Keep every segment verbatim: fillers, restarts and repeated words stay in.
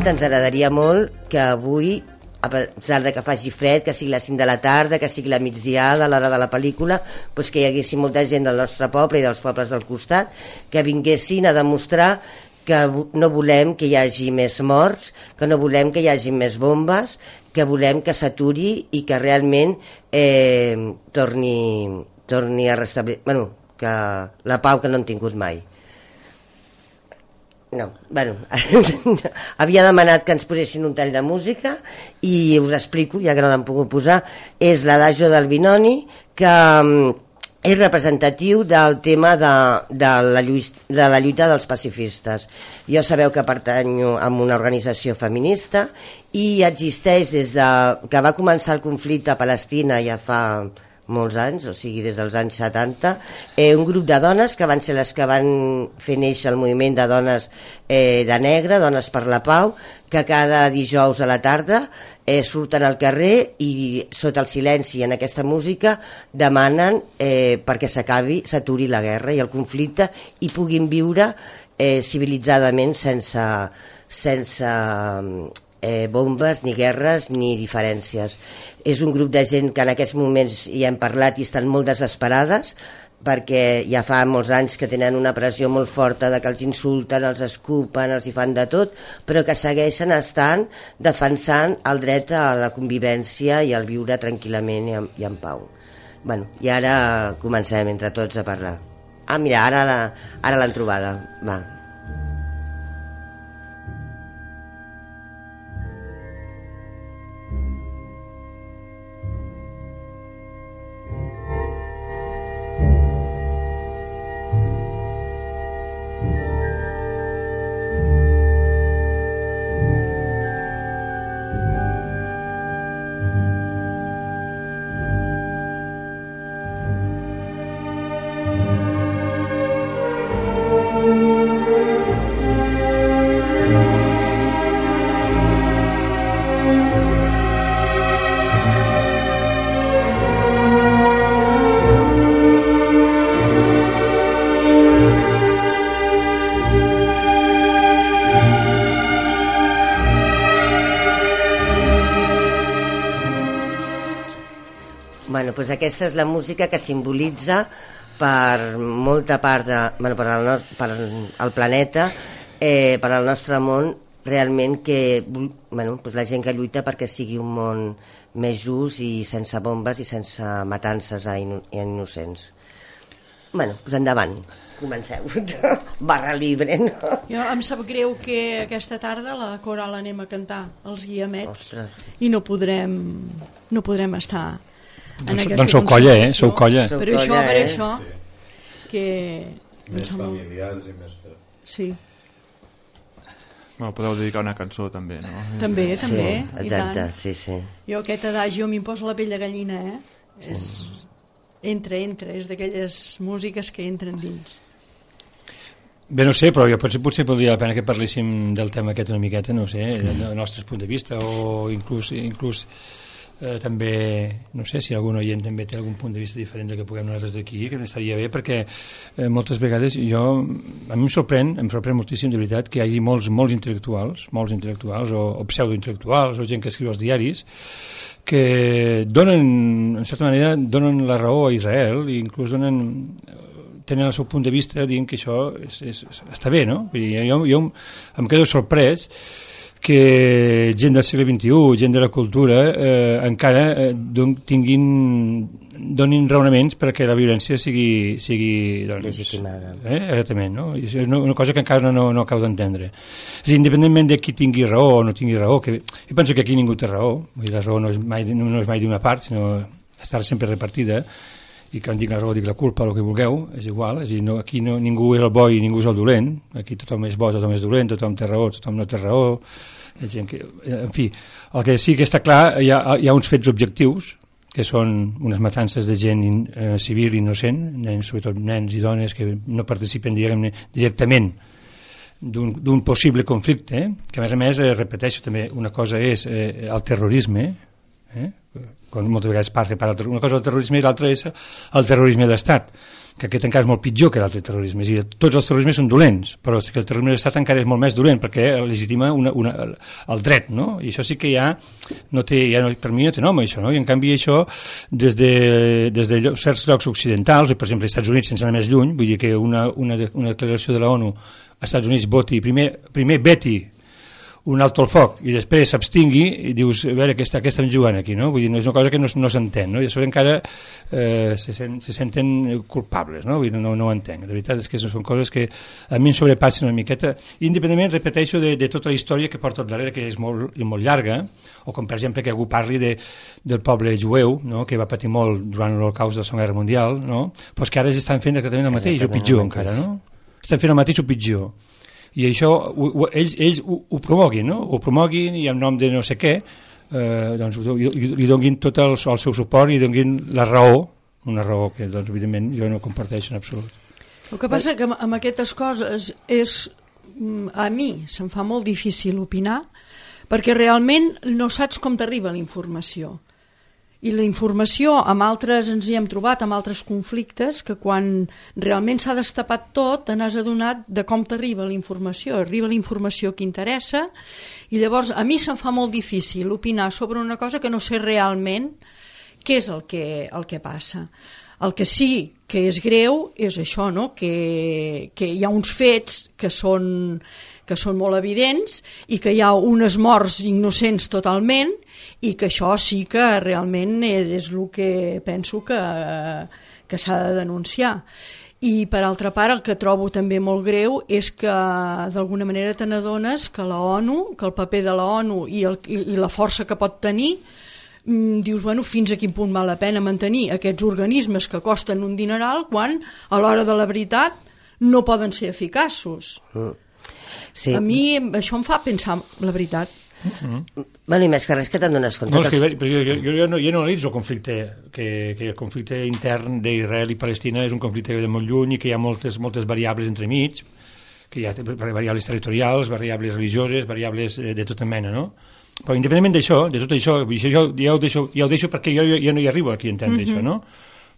tant, ens agradaria molt que avui, a pesar de que faci fred, que sigui les cinc de la tarda, que sigui la migdiada, a l'hora de la pel·lícula, doncs que hi haguessin molta gent del nostre poble i dels pobles del costat, que vinguessin a demostrar que no volem que hi hagi més morts, que no volem que hi hagi més bombes, que volem que s'aturi i que realment eh, torni, torni a restablir... Bueno, que la pau que no han tingut mai. No, bueno, havia demanat que ens posessin un tall de música i us explico, ja que no l'han pogut posar. És l'Adagio del Binoni, que és representatiu del tema de, de, la lluita, de la lluita dels pacifistes. Jo sabeu que pertanyo a una organització feminista i existeix des de que va començar el conflicte a Palestina ja fa molts anys, o sigui des dels anys setanta, eh, un grup de dones que van ser les que van fer néixer el moviment de dones eh, de negre, Dones per la Pau, que cada dijous a la tarda eh, surten al carrer i sota el silenci en aquesta música demanen eh, perquè s'acabi, s'aturi la guerra i el conflicte i puguin viure eh, civilitzadament sense sense Eh, bombes, ni guerres, ni diferències. És un grup de gent que en aquests moments hi hem parlat i estan molt desesperades perquè ja fa molts anys que tenen una pressió molt forta de que els insulten, els escupen, els hi fan de tot, però que segueixen estant defensant el dret a la convivència i al viure tranquil·lament i en, i en pau. Bueno, i ara comencem entre tots a parlar. Ah, mira, ara, la, ara l'han trobada. Va. Bueno, doncs aquesta és la música que simbolitza per molta part de, bueno, per, al no, per al planeta, eh, per al nostre món, realment que bueno, doncs la gent que lluita perquè sigui un món més just i sense bombes i sense matances a, ino, a innocents. Bueno, doncs endavant, comenceu. Barra libre, no? Jo em sap greu que aquesta tarda la coral anem a cantar els Guiamets. Ostres. I no podrem, no podrem estar en doncs, aquesta doncs sou colla, eh? Sou colla. Per això, colla, per eh? això sí. que... Més familiars i més... Sí. Bueno, podeu dedicar una cançó també, no? També, sí, també. Sí, exacte, sí, sí. Jo aquest adagio m'hi poso la pell de gallina, eh? Sí. És... Entra, entra, és d'aquelles músiques que entren dins. Bé, no sé, però jo potser, potser podria la pena que parléssim del tema aquest una miqueta, no sé, del nostre punt de vista, o inclús, inclús eh, també, no sé, si algun oient també té algun punt de vista diferent del que puguem nosaltres d'aquí, que estaria bé, perquè eh, moltes vegades jo, a mi em sorprèn, em sorprèn moltíssim, de veritat, que hi hagi molts, molts intel·lectuals, molts intel·lectuals, o, o pseudointel·lectuals, o gent que escriu als diaris, que donen, en certa manera, donen la raó a Israel i inclús donen, tenen el seu punt de vista dient que això és, és, està bé, no? Vull dir, jo, jo em quedo sorprès que gent del segle vint-i-u, gent de la cultura, eh, encara eh, don, tinguin, donin raonaments perquè la violència sigui... sigui doncs, legitimada. Eh, exactament, no? És una cosa que encara no, no, no acabo d'entendre. És dir, independentment de qui tingui raó o no tingui raó, que jo penso que aquí ningú té raó, vull dir, la raó no és mai, no és mai d'una part, sinó estar sempre repartida, i quan dic la raó dic la culpa, el que vulgueu, és igual, és a dir, no, aquí no, ningú és el bo i ningú és el dolent, aquí tothom és bo, tothom és dolent, tothom té raó, tothom no té raó, gent que, en fi, el que sí que està clar, hi ha, hi ha uns fets objectius, que són unes matances de gent eh, civil innocent, nens, sobretot nens i dones que no participen directament d'un possible conflicte, eh? Que a més a més, eh, repeteixo també, una cosa és eh, el terrorisme, eh? Quan moltes vegades parla per una cosa el terrorisme i l'altra és el terrorisme d'estat. que aquest encara és molt pitjor que l'altre terrorisme. És a dir, tots els terrorismes són dolents, però és que el terrorisme d'estat encara és molt més dolent perquè legitima una, una, el dret, no? I això sí que ja no té, ja no, per mi no té nom, això, no? I en canvi això, des de, des de llocs, certs llocs occidentals, per exemple, als Estats Units, sense anar més lluny, vull dir que una, una, una declaració de la ONU als Estats Units voti, primer, primer veti un alto al foc i després s'abstingui i dius, a veure, què, està, què estem jugant aquí, no? Vull dir, no és una cosa que no, no s'entén, no? I a sobre encara eh, se, sent, se senten culpables, no? Vull dir, no, no ho entenc. La veritat és que són coses que a mi em sobrepassen una miqueta, independentment, repeteixo, de, de tota la història que porta al darrere, que és molt, molt llarga, o com per exemple que algú parli de, del poble jueu, no? Que va patir molt durant l'Holocaust de la Segona Guerra Mundial, no? Però que ara estan fent exactament el mateix, o pitjor encara, no? Estan fent el mateix o pitjor. I això ho, ho, ells, ells ho, ho promoguin, no? Ho promoguin i en nom de no sé què eh, doncs, li, li donin tot el, el seu suport i donin la raó, una raó que doncs, evidentment jo no comparteixo en absolut. El que passa que amb aquestes coses és, a mi se'm fa molt difícil opinar perquè realment no saps com t'arriba la informació. I la informació, amb altres ens hi hem trobat, amb altres conflictes, que quan realment s'ha destapat tot, te n'has adonat de com t'arriba la informació. Arriba la informació que interessa, i llavors a mi se'm fa molt difícil opinar sobre una cosa que no sé realment què és el que, el que passa. El que sí que és greu és això, no? que, que hi ha uns fets que són, que són molt evidents i que hi ha unes morts innocents totalment, i que això sí que realment és el que penso que, que s'ha de denunciar. I per altra part el que trobo també molt greu és que d'alguna manera te n'adones que la ONU, que el paper de la ONU i, el, i, i la força que pot tenir, dius, bueno, fins a quin punt val la pena mantenir aquests organismes que costen un dineral quan a l'hora de la veritat no poden ser eficaços. Sí. A mi això em fa pensar la veritat. Mm-hmm. Bueno, i més que res que te'n dones compte. No, és que jo, jo, jo, jo, no, jo no analitzo el conflicte, que, que el conflicte intern d'Israel i Palestina és un conflicte de molt lluny i que hi ha moltes, moltes variables entremig, que hi ha variables territorials, variables religioses, variables de tota mena, no? Però independentment d'això, de tot això, això jo, ja, ho deixo, ja ho deixo perquè jo, jo, jo no hi arribo aquí a entendre mm-hmm. això, no?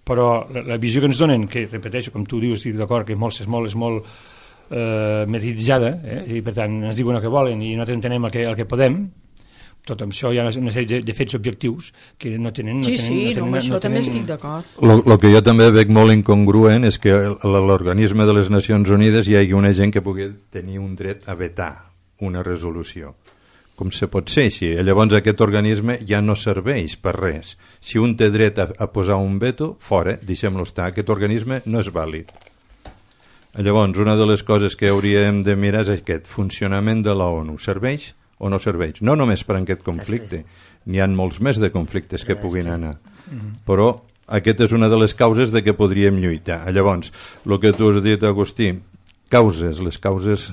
Però la, la visió que ens donen, que repeteixo, com tu dius, estic d'acord, que és molt, és molt, és molt eh, mediatitzada, eh? I per tant ens diuen el que volen i nosaltres entenem el que, el que podem. Tot això hi ha una sèrie de, de fets objectius que no tenen... No sí, tenen, sí, no tenen, no, amb això no també tenen... estic d'acord. El que jo també veig molt incongruent és que l'organisme de les Nacions Unides hi hagi una gent que pugui tenir un dret a vetar una resolució. Com se pot ser així? Llavors aquest organisme ja no serveix per res. Si un té dret a, a posar un veto, fora, deixem-lo estar. Aquest organisme no és vàlid. Llavors, una de les coses que hauríem de mirar és aquest funcionament de la ONU. Serveix o no serveix? No només per aquest conflicte. N'hi ha molts més de conflictes que puguin anar. Però aquesta és una de les causes de què podríem lluitar. Llavors, el que tu has dit, Agustí, causes, les causes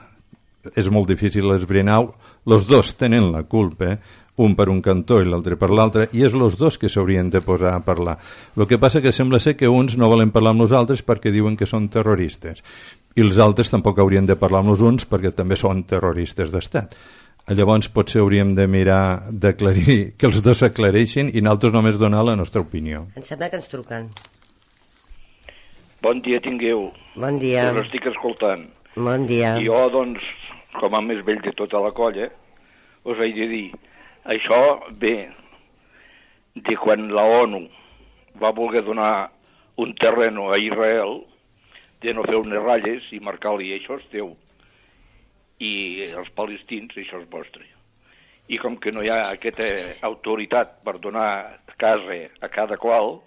és molt difícil esbrinar. Els dos tenen la culpa, eh? Un per un cantó i l'altre per l'altre, i és els dos que s'haurien de posar a parlar. El que passa que sembla ser que uns no volen parlar amb nosaltres perquè diuen que són terroristes, i els altres tampoc haurien de parlar amb els uns perquè també són terroristes d'estat. Llavors potser hauríem de mirar d'aclarir, que els dos s'aclareixin i nosaltres només donar la nostra opinió. Em sembla que ens truquen. Bon dia tingueu. Bon dia. Us estic escoltant. Bon dia. I jo, doncs, com a més vell de tota la colla, us he de dir, això ve de quan la ONU va voler donar un terreno a Israel, de no fer unes ratlles i marcar-li això és teu. I els palestins, això és vostre. I com que no hi ha aquesta autoritat per donar casa a cada qual,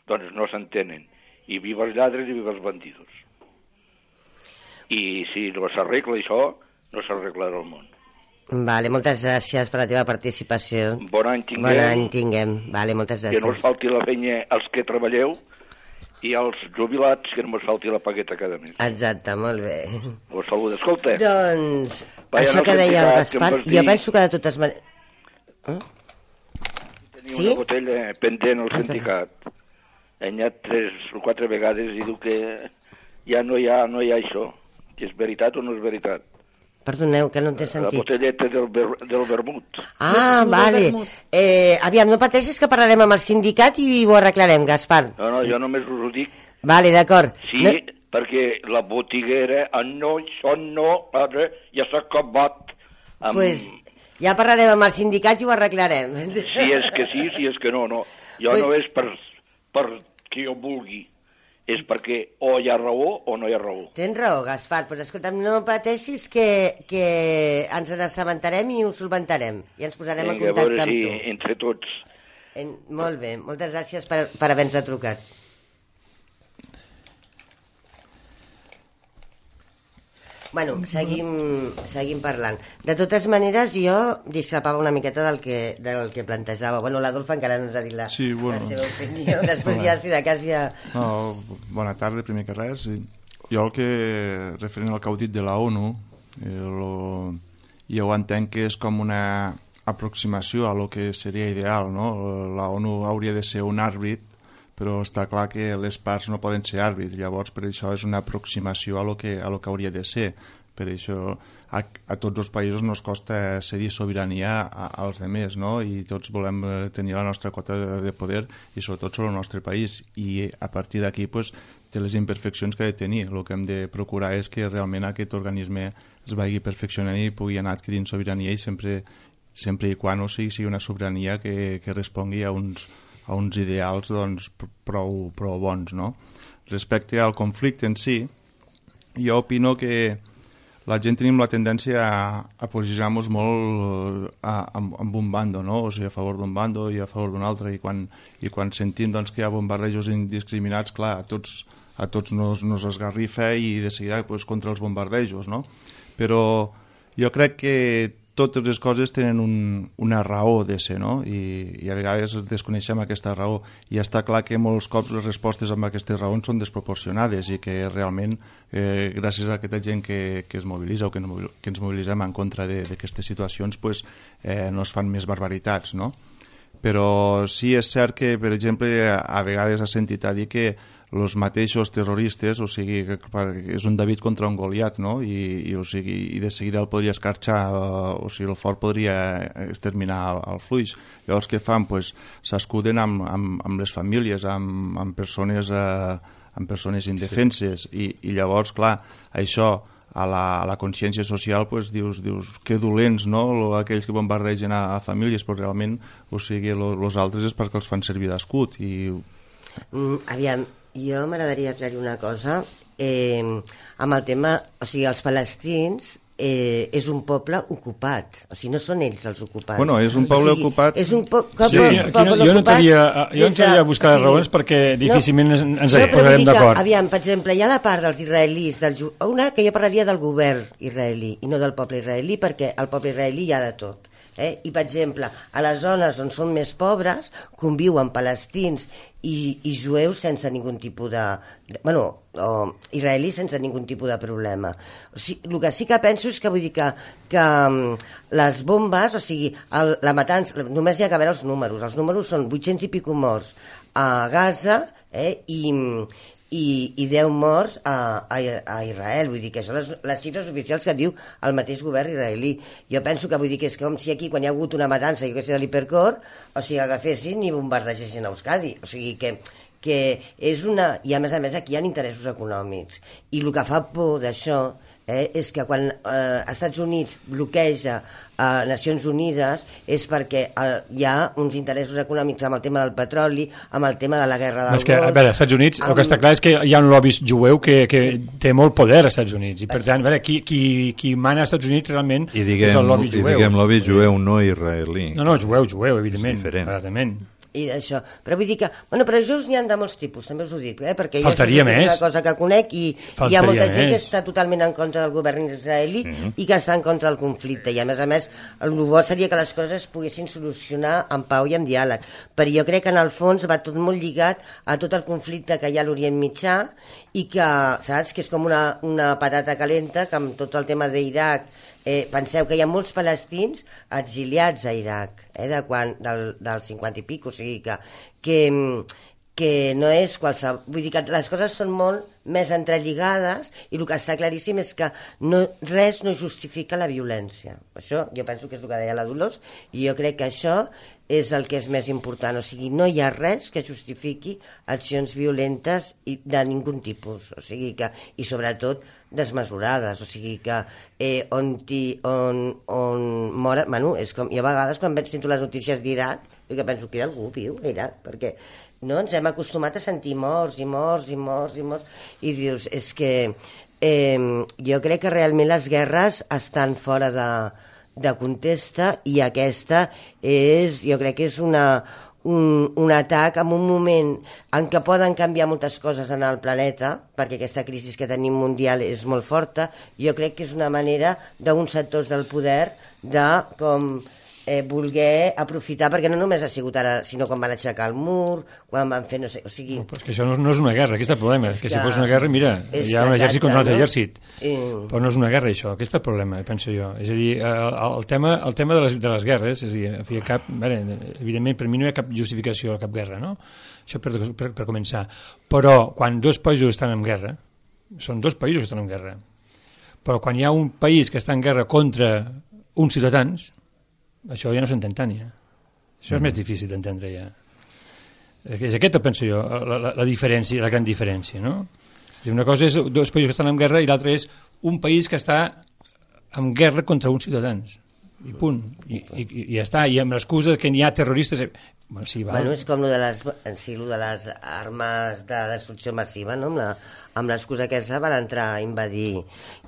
doncs no s'entenen. I viva els lladres i viva els bandidos. I si no s'arregla això, no s'arreglarà el món. Vale, moltes gràcies per la teva participació. Bon any tinguem. Bon any tinguem. Vale, moltes gràcies. Que no us falti la feina als que treballeu i als jubilats, que no us falti la pagueta cada mes. Exacte, molt bé. Us saludo, escolta. Doncs, Vaya, això no que deia el Gaspar, que jo penso que de totes maneres... Eh? Tenia Sí? una botella pendent al sindicat. He anat tres o quatre vegades i diu que ja no hi ha, no hi ha això. És veritat o no és veritat? Perdoneu, que no t'he La sentit. botelleta del, ver, del vermut. Ah, Del vale. vermut. Eh, aviam, no pateixis que parlarem amb el sindicat i ho arreglarem, Gaspar. No, no, jo només us ho dic Vale, d'acord. Sí, No... perquè la botiguera, ah, no, això no, ara ja s'ha acabat. Amb... Pues ja parlarem amb el sindicat i ho arreglarem. Si és que sí, si és que no, no. Jo Pues... no és per, per que jo vulgui, és perquè o hi ha raó o no hi ha raó. Tens raó, Gaspar, però escolta'm, no pateixis que, que ens n'assabentarem i ho solventarem. I ens posarem Vinga, en contacte a veure amb si tu. entre tots. En... Molt bé, moltes gràcies per, per haver-nos trucat. Bueno, seguim, seguim parlant. De totes maneres, jo discrepava una miqueta del que, del que plantejava. Bueno, l'Adolf encara no ens ha dit la, Sí, bueno. la seva opinió. Després ja, si de cas ja... No, bona tarda, primer que res. Jo el que, referent al que heu dit de la ONU, eh, lo, jo entenc que és com una aproximació a lo que seria ideal, no? La ONU hauria de ser un àrbit, però està clar que les parts no poden ser àrbits, llavors per això és una aproximació a lo que, a lo que hauria de ser. Per això a, a tots els països no es costa cedir sobirania a, als demés, no? I tots volem tenir la nostra quota de, de poder i sobretot sobre el nostre país, i a partir d'aquí pues, té les imperfeccions que ha de tenir. El que hem de procurar és que realment aquest organisme es vagi perfeccionant i pugui anar adquirint sobirania, i sempre, sempre i quan o sigui, sigui una sobirania que, que respongui a uns a uns ideals doncs, prou, prou bons, no? Respecte al conflicte en si, jo opino que la gent tenim la tendència a, a posicionar-nos molt a, a, amb un bando, no? O sigui, a favor d'un bando i a favor d'un altre, i quan, i quan sentim doncs, que hi ha bombardejos indiscriminats, clar, a tots, a tots nos, nos esgarrifa i de seguida pues, contra els bombardejos, no? Però jo crec que totes les coses tenen un, una raó de ser, no? I, i a vegades desconeixem aquesta raó, i està clar que molts cops les respostes amb aquestes raons són desproporcionades i que realment eh, gràcies a aquesta gent que, que es mobilitza o que, no, que ens mobilitzem en contra d'aquestes situacions pues, eh, no es fan més barbaritats, no? Però sí és cert que, per exemple, a vegades has sentit a dir que els mateixos terroristes, o sigui, que és un David contra un Goliat, no? I, i, o sigui, i de seguida el podria escarxar, o sigui, el fort podria exterminar el, el fluix. Llavors què fan? Pues, s'escuden amb, amb, amb les famílies, amb, amb, persones, eh, amb persones indefenses, sí. I, i llavors, clar, això a la, a la consciència social pues, dius, dius que dolents, no? Aquells que bombardegen a, a famílies, però realment, o sigui, els altres és perquè els fan servir d'escut. I... Mm, aviam, jo m'agradaria aclarir una cosa. Eh, amb el tema, o sigui, els palestins eh, és un poble ocupat, o sigui, no són ells els ocupats. Bueno, és un poble o sigui, ocupat... És un po sí, poble, jo, poble jo, jo no entraria, jo no entraria a buscar o sigui, raons perquè difícilment no, ens no, posarem d'acord. Aviam, per exemple, hi ha la part dels israelis, del, una que jo parlaria del govern israelí i no del poble israelí, perquè al poble israelí hi ha de tot. Eh? I, per exemple, a les zones on són més pobres conviuen palestins i, i jueus sense ningun tipus de... de bueno, o israelis sense ningun tipus de problema. O sigui, el que sí que penso és que vull dir que, que um, les bombes, o sigui, el, la matança, només hi ha que veure els números. Els números són vuit-cents i pico morts a Gaza eh? i... I, i deu morts a, a, a Israel. Vull dir que són les, les xifres oficials que diu el mateix govern israelí. Jo penso que vull dir que és com si aquí, quan hi ha hagut una matança, jo que sé, de l'Hipercor, o sigui, agafessin i bombardegessin a Euskadi. O sigui que, que és una... I a més a més aquí hi ha interessos econòmics. I el que fa por d'això eh, és que quan eh, Estats Units bloqueja a eh, Nacions Unides és perquè eh, hi ha uns interessos econòmics amb el tema del petroli, amb el tema de la guerra del Golf. Que, a veure, als Estats Units amb... el que està clar és que hi ha un lobby jueu que, que té molt poder als Estats Units, i per tant, a veure, qui, qui, qui mana als Estats Units realment I diguem, és el lobby jueu. I diguem lobby jueu, no israelí. No, no, jueu, jueu, evidentment. És diferent. Clarament. I d'això, però vull dir que bueno, però jueus n'hi ha de molts tipus, també us ho dic, eh? Perquè Faltaria jo és més. una cosa que conec i Faltaria hi ha molta més. gent que està totalment en contra del govern israelí mm-hmm. i que està en contra del conflicte, i a més a més el bo seria que les coses es poguessin solucionar en pau i amb diàleg, però jo crec que en el fons va tot molt lligat a tot el conflicte que hi ha a l'Orient Mitjà i que, saps, que és com una, una patata calenta, que amb tot el tema d'Iraq Eh, penseu que hi ha molts palestins exiliats a Iraq, eh, de quan, del, del cinquanta i pico, o sigui que, que, que no és qualsevol... Vull dir que les coses són molt més entrelligades, i el que està claríssim és que no, res no justifica la violència. Això jo penso que és el que deia la Dolors, i jo crec que això és el que és més important, o sigui, no hi ha res que justifiqui accions violentes i de ningú tipus, o sigui que, i sobretot desmesurades, o sigui que eh, on, ti, on, on moren, bueno, és com, jo a vegades quan veig sento les notícies d'Iraq, jo que penso que algú viu a Iraq, perquè no ens hem acostumat a sentir morts i morts i morts i morts, i dius, és que eh, jo crec que realment les guerres estan fora de de contesta, i aquesta és, jo crec que és una, un, un atac en un moment en què poden canviar moltes coses en el planeta, perquè aquesta crisi que tenim mundial és molt forta. Jo crec que és una manera d'uns sectors del poder de com eh, voler aprofitar, perquè no només ha sigut ara, sinó quan van aixecar el mur, quan van fer, no sé, o sigui... No, però és que això no, no és una guerra, aquest és el problema, és que, que si fos una guerra, mira, hi ha un exèrcit contra un altre exèrcit, I... però no és una guerra això, aquest és el problema, penso jo. És a dir, el, el tema, el tema de, les, de les guerres, és a dir, a fi, cap, bé, evidentment per mi no hi ha cap justificació a cap guerra, no? Això per, per, per començar. Però quan dos països estan en guerra, són dos països que estan en guerra, però quan hi ha un país que està en guerra contra uns ciutadans, això ja no s'entén tant, ja. Això és mm. més difícil d'entendre, ja. És aquesta, penso jo, la, la, la diferència, la gran diferència, no? Una cosa és dos països que estan en guerra i l'altra és un país que està en guerra contra uns ciutadans. I punt. I, i, i ja està. I amb l'excusa que n'hi ha terroristes... Bueno, sí, val. Bueno, és com lo de les, en si, lo de les armes de destrucció massiva, no? Amb la, amb l'excusa aquesta van entrar a invadir.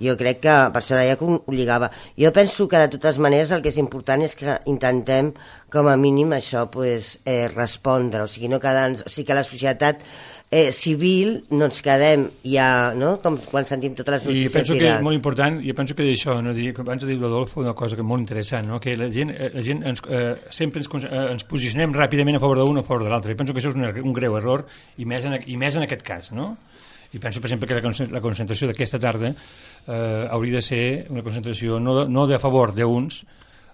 Jo crec que, per això deia que ho lligava. Jo penso que de totes maneres el que és important és que intentem, com a mínim, això pues, eh, respondre, o sigui, no quedar-nos... O sigui, que la societat eh, civil no ens quedem ja, no? Com quan sentim totes les notícies. I penso que és molt important, jo penso que d'això, no? Abans ha dit l'Adolfo una cosa que molt interessant, no? Que la gent, la gent ens, eh, sempre ens, eh, ens posicionem ràpidament a favor d'un o a favor de l'altre. Jo penso que això és un, un greu error, i més en, i més en aquest cas, no? I penso, per exemple, que la, la concentració d'aquesta tarda eh, hauria de ser una concentració no, no de a favor d'uns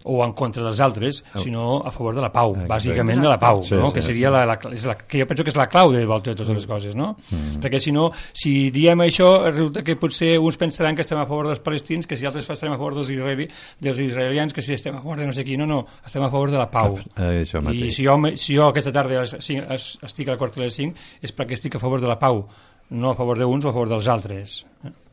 o en contra dels altres, sinó a favor de la pau, ah, bàsicament de la pau, sí, no? Sí, que seria la, la, és la, que jo penso que és la clau de volta de totes les coses, no? Mm. Perquè si no, si diem això, resulta que potser uns pensaran que estem a favor dels palestins, que si altres estem a favor dels, israeli, dels israelians, que si estem a favor de no sé qui, no, no, estem a favor de la pau. Eh, I si jo, si jo aquesta tarda estic a la quarta de les cinc és perquè estic a favor de la pau, no a favor d'uns o a favor dels altres.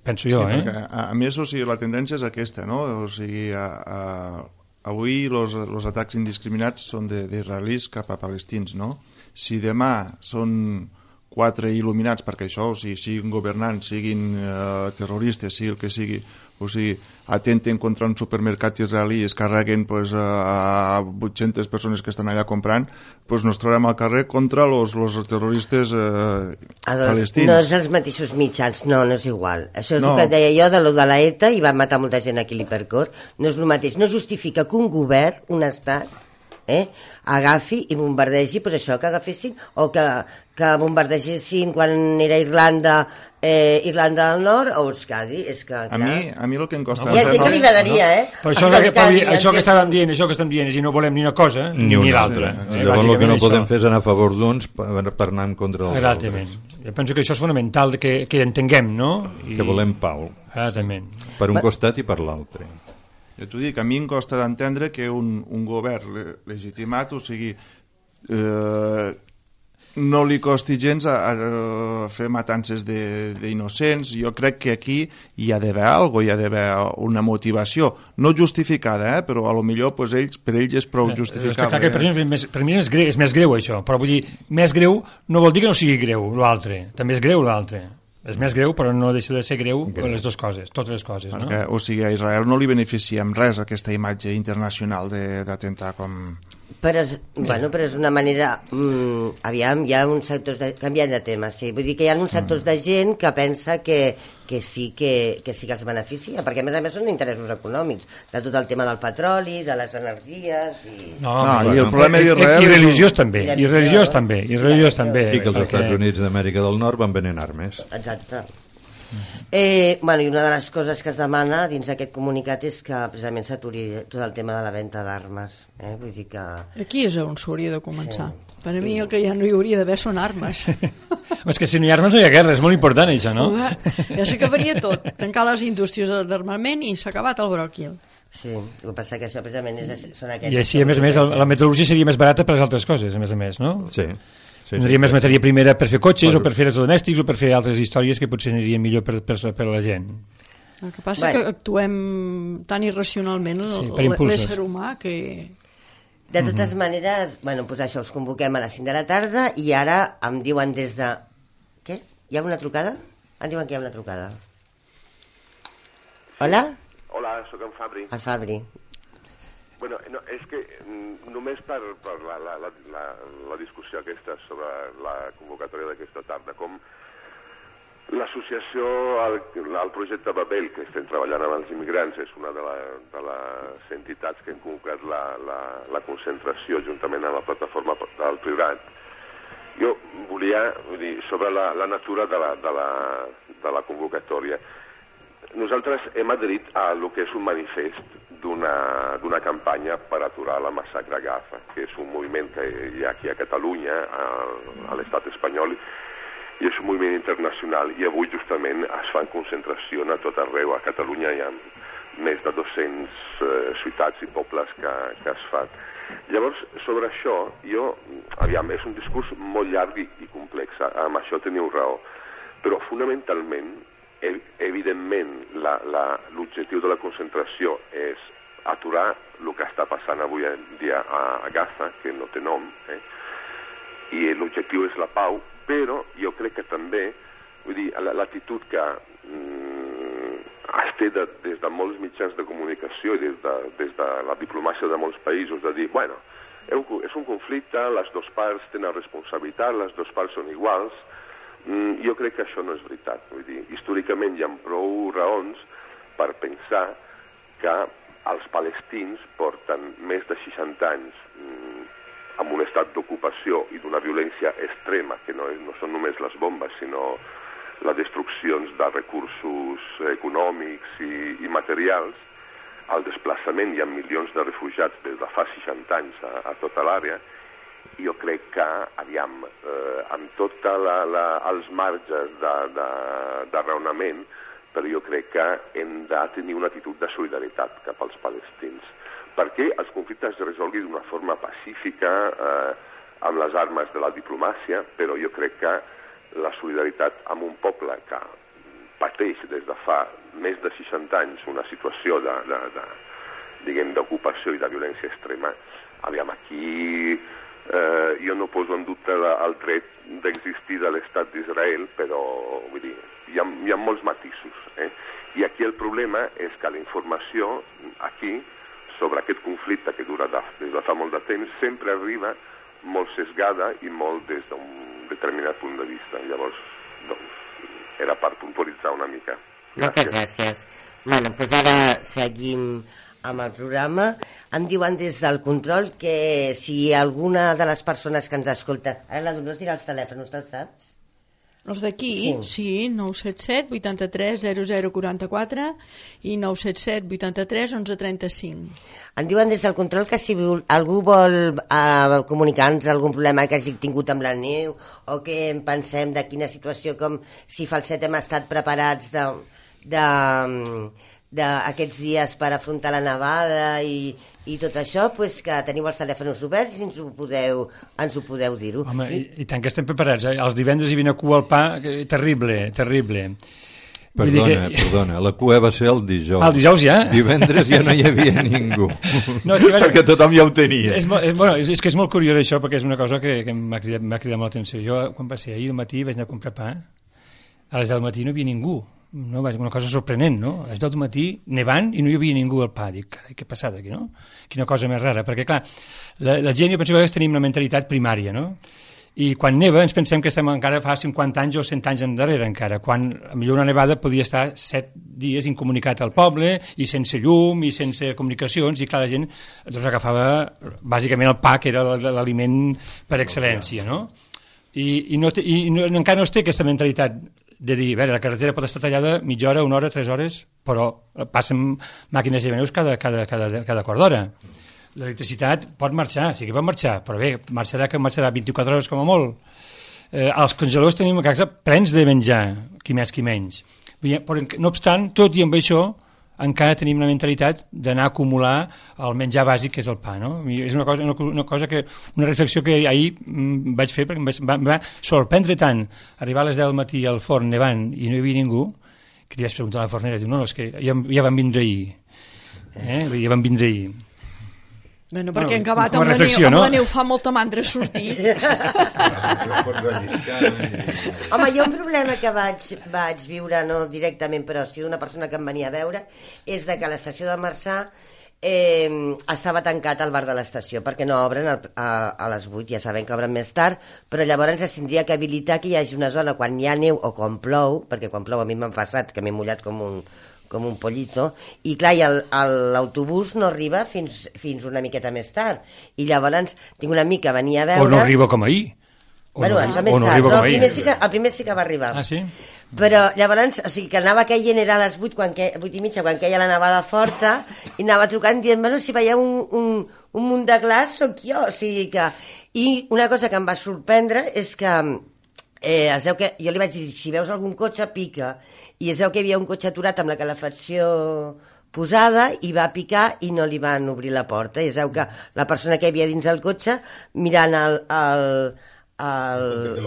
Penso jo, sí, eh? Perquè, a, a més, o sigui, la tendència és aquesta, no? O sigui, a, a avui els atacs indiscriminats són d'israelis cap a palestins, no? Si demà són quatre il·luminats, perquè això, o sigui, siguin governants, siguin eh, terroristes, sigui el que sigui, o sigui, atenten contra un supermercat israelí i es carreguen pues, a vuit-centes persones que estan allà comprant, pues nos trobem al carrer contra els terroristes eh, palestins. No és els mateixos mitjans, no, no és igual. Això és no. el que deia jo de lo de la ETA i van matar molta gent aquí a l'Hipercor. No és el mateix. No justifica que un govern, un estat, eh, agafi i bombardegi, pues això, que agafessin, o que, que bombardegessin quan era Irlanda, eh, Irlanda del Nord o Euskadi, és que... A mi, a mi el que em costa... No, hi ha gent que li agradaria, eh? Però això, que, Euskadi, això, això que estàvem dient, això que estem dient, és dir, no volem ni una cosa ni, ni l'altra. Sí, eh, llavors el que no això. podem fer és anar a favor d'uns per, per anar en contra dels Exactament. altres. Jo penso que això és fonamental, que, que entenguem, no? I... Que volem pau. Exactament. Per un costat i per l'altre. Jo t'ho dic, a mi em costa d'entendre que un, un govern le, legitimat, o sigui, eh, no li costi gens a, a fer matances d'innocents. Jo crec que aquí hi ha d'haver alguna cosa, hi ha d'haver una motivació, no justificada, eh, però a lo millor pues, ells, per ells és prou justificable. Eh? Per, mi, més, per mi és greu, és més greu això, però vull dir, més greu no vol dir que no sigui greu l'altre, també és greu l'altre. És més greu, però no deixa de ser greu okay. les dues coses, totes les coses. Perquè, no? O sigui, a Israel no li beneficia en res aquesta imatge internacional d'atemptar com... Però és, bueno, però és una manera... Mm, aviam, hi ha uns sectors... De, canviant de tema, sí. Vull dir que hi ha uns sectors mm. de gent que pensa que, que, sí, que, que sí que els beneficia, perquè a més a més són interessos econòmics, de tot el tema del petroli, de les energies... I, no, no, bueno, i el problema d'Israel... I, i religiós també, i religiós també, i religiós també. I que els perquè... Estats Units d'Amèrica del Nord van venent armes. Exacte. Eh, bueno, i una de les coses que es demana dins d'aquest comunicat és que precisament s'aturi tot el tema de la venda d'armes, eh? Vull dir que... Aquí és on s'hauria de començar. Sí. Per a mi el que ja no hi hauria d'haver són armes. És que si no hi ha armes no hi ha guerra, és molt important això, no? Ja s'acabaria tot, tancar les indústries d'armament i s'ha acabat el bròquil. Sí, el que passa que això precisament és, són aquests... I així, a més a més, la metal·lúrgia seria més barata per les altres coses, a més a més, no? Sí. Sí, Tindria sí, més sí. matèria primera per fer cotxes bueno. o per fer electrodomèstics o per fer altres històries que potser anirien millor per, per, per la gent. El que passa bueno. que actuem tan irracionalment sí, l'ésser humà que... De totes uh -huh. maneres, bueno, pues això, us convoquem a les cinc de la tarda i ara em diuen des de... Què? Hi ha una trucada? Em diuen que hi ha una trucada. Hola? Hola, sóc en Fabri. El Fabri. Bueno, no, és que mm, només per, per la, la, la, la, la discussió aquesta sobre la convocatòria d'aquesta tarda, com l'associació al, al projecte Babel, que estem treballant amb els immigrants, és una de, la, de les entitats que han convocat la, la, la concentració juntament amb la plataforma del Priorat. Jo volia vull dir, sobre la, la natura de la, de, la, de la convocatòria. Nosaltres hem adherit a lo que és un manifest d'una campanya per aturar la massacre a Gaza, que és un moviment que hi ha aquí a Catalunya, a, a l'estat espanyol, i és un moviment internacional, i avui justament es fan concentracions a tot arreu. A Catalunya hi ha més de dues-centes eh, ciutats i pobles que, que es fan. Llavors, sobre això, jo, aviam, és un discurs molt llarg i, i complex, amb això teniu raó, però fonamentalment, evidentment, l'objectiu de la concentració és aturar el que està passant avui en dia a, a Gaza, que no té nom, eh? I l'objectiu és la pau, però jo crec que també, vull dir, l'actitud que mm, es té de, des de molts mitjans de comunicació i des de, des de la diplomàcia de molts països, de dir, bueno, és un conflicte, les dues parts tenen responsabilitat, les dues parts són iguals. Mm, jo crec que això no és veritat. Vull dir, històricament hi ha prou raons per pensar que els palestins porten més de seixanta anys mm, amb un estat d'ocupació i d'una violència extrema, que no, és, no són només les bombes, sinó les destruccions de recursos econòmics i, i materials, el desplaçament, hi ha milions de refugiats des de fa seixanta anys a, a tota l'àrea. Jo crec que, aviam, eh, amb tots els marges de, de, de raonament, però jo crec que hem de tenir una actitud de solidaritat cap als palestins. Perquè els conflictes es resolguin d'una forma pacífica, eh, amb les armes de la diplomàcia, però jo crec que la solidaritat amb un poble que pateix des de fa més de seixanta anys una situació de, de, de, diguem, d'ocupació i de violència extrema, aviam, aquí... Eh, jo no poso en dubte el dret d'existir de l'estat d'Israel, però vull dir, hi ha, hi ha molts matisos. Eh? I aquí el problema és que la informació aquí sobre aquest conflicte que dura de, des de fa molt de temps sempre arriba molt sesgada i molt des d'un determinat punt de vista. Llavors, doncs, era per puntualitzar una mica. Gràcies. Moltes gràcies. Bueno, doncs ara seguim amb el programa. Em diuen des del control que si alguna de les persones que ens escolta... Ara la Dolors dirà els telèfons, te'ls saps? Els d'aquí, sí, sí, nou set set, vuitanta-tres, zero zero, quaranta-quatre i nou set set, vuitanta-tres, onze, trenta-cinc. Em diuen des del control que si algú vol eh, comunicar-nos algun problema que hagi tingut amb la neu o que en pensem de quina situació, com si Falset hem estat preparats de... de d'aquests dies per afrontar la nevada i, i tot això, pues que teniu els telèfons oberts i ens ho podeu, ens ho podeu dir-ho. Home, i, i tant que estem preparats, eh? Els divendres hi havia una cua al pa, eh, terrible, terrible. Perdona, que... perdona, la cua va ser el dijous. El dijous ja? Divendres ja no hi havia ningú, no, és que, bueno, perquè tothom ja ho tenia. És, és, bueno, és, és que és molt curiós això, perquè és una cosa que, que m'ha cridat, m'ha cridat molt l'atenció. Jo, quan va ser ahir al matí, vaig anar a comprar pa, a les del matí no hi havia ningú. No, una cosa sorprenent, no? A les deu del matí, nevant, i no hi havia ningú al pa. Dic, carai, què ha passat aquí, no? Quina cosa més rara, perquè, clar, la, la gent, jo penso que tenim una mentalitat primària, no? I quan neva ens pensem que estem encara fa cinquanta anys o cent anys endarrere encara, quan millor una nevada podia estar set dies incomunicat al poble i sense llum i sense comunicacions, i clar, la gent doncs, agafava bàsicament el pa, que era l'aliment per excel·lència, no? I, i, no té, i no, encara no es té aquesta mentalitat de dir, a veure, la carretera pot estar tallada mitja hora, una hora, tres hores, però passen màquines llevaneus cada, cada, cada, cada quart d'hora. L'electricitat pot marxar, sí que pot marxar, però bé, marxarà que marxarà vint-i-quatre hores com a molt. eh, als congeladors tenim a casa plens de menjar, qui més qui menys. Però, no obstant, tot i amb això, encara tenim la mentalitat d'anar a acumular el menjar bàsic que és el pa, no? I és una cosa, una, una cosa que, una reflexió que ahir mm, vaig fer perquè em va, em va sorprendre tant arribar a les deu del matí al forn nevant i no hi havia ningú, que li vaig preguntar a la fornera, diu, no, no, és que ja, ja van vindre ahir, eh? Ja van vindre ahir. Bueno, perquè bueno, en acabat amb, amb, no? amb la neu fa molta mandra sortir. Home, jo un problema que vaig, vaig viure, no directament, però sí d'una persona que em venia a veure, és de que a l'estació de Marçà eh, estava tancat el bar de l'estació, perquè no obren a, a, a les vuit, ja sabem que obren més tard, però llavors es tindria que habilitar que hi hagi una zona quan hi ha neu o quan plou, perquè quan plou a mi m'ha passat que m'he mullat com un com un pollito, i clar, l'autobús no arriba fins, fins una miqueta més tard, i llavors tinc un amic que venia a veure... O no arriba com ahir. O bueno, no, això més no tard, no, el, primer ahir. sí que, el primer sí que va arribar. Ah, sí? Però llavors, o sigui, que anava caient, era a les vuit, quan que, vuit i mitja, quan queia la nevada forta, i anava trucant dient, bueno, si veieu un, un, un munt de glaç, sóc jo, o sigui que... I una cosa que em va sorprendre és que eh, es veu que, jo li vaig dir, si veus algun cotxe, pica, i es veu que hi havia un cotxe aturat amb la calefacció posada i va picar i no li van obrir la porta, i es veu que la persona que hi havia dins el cotxe mirant el... el el,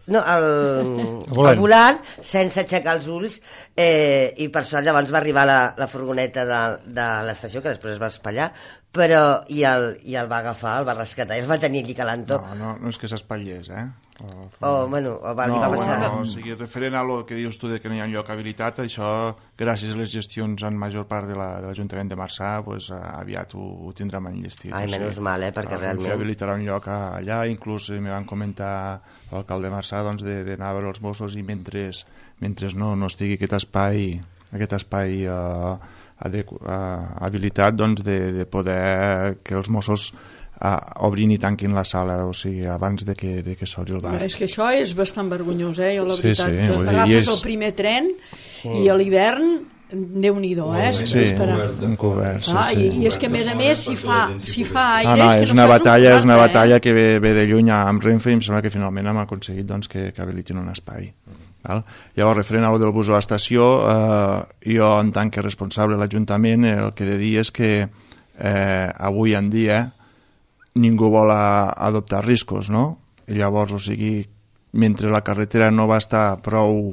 no, el, el, volant. el volant sense aixecar els ulls eh, i per sort llavors va arribar la, la furgoneta de, de l'estació que després es va espatllar però i el, i el va agafar, el va rescatar i el va tenir allí calentó. No, no, no és que s'espatllés, eh? O, o, bueno, o va, no, va passar. Bueno, o sigui, referent a lo que dius tu de que no hi ha lloc habilitat, això, gràcies a les gestions en major part de l'Ajuntament de, de Marçà, pues, aviat ho, ho tindrem enllestit. Ai, menys mal, eh, perquè realment... habilitarà un lloc allà, inclús me van comentar l'alcalde de Marçà doncs, d'anar a veure els Mossos i mentre, mentre no, no estigui aquest espai, aquest espai eh, adequ, eh, habilitat doncs, de, de poder que els Mossos a obrin i tanquin la sala, o sigui, abans de que, de que s'obri el bar. És que això és bastant vergonyós, eh? Jo, la sí, veritat, sí, que agafes és... el primer tren sí. i a l'hivern, Déu-n'hi-do, eh? Sí, un cobert, sí, ah, sí. I, I és que, a més a més, si fa, si fa aire... Ah, no, és, és, que una no batalla, un és una eh? batalla que ve, ve de lluny amb Renfe i em sembla que finalment hem aconseguit doncs, que, que habilitin un espai. Val? Llavors, referent a lo del bus a l'estació, eh, jo, en tant que responsable de l'Ajuntament, el que he de dir és que eh, avui en dia ningú vol a, adoptar riscos, no? I llavors, o sigui, mentre la carretera no va estar prou,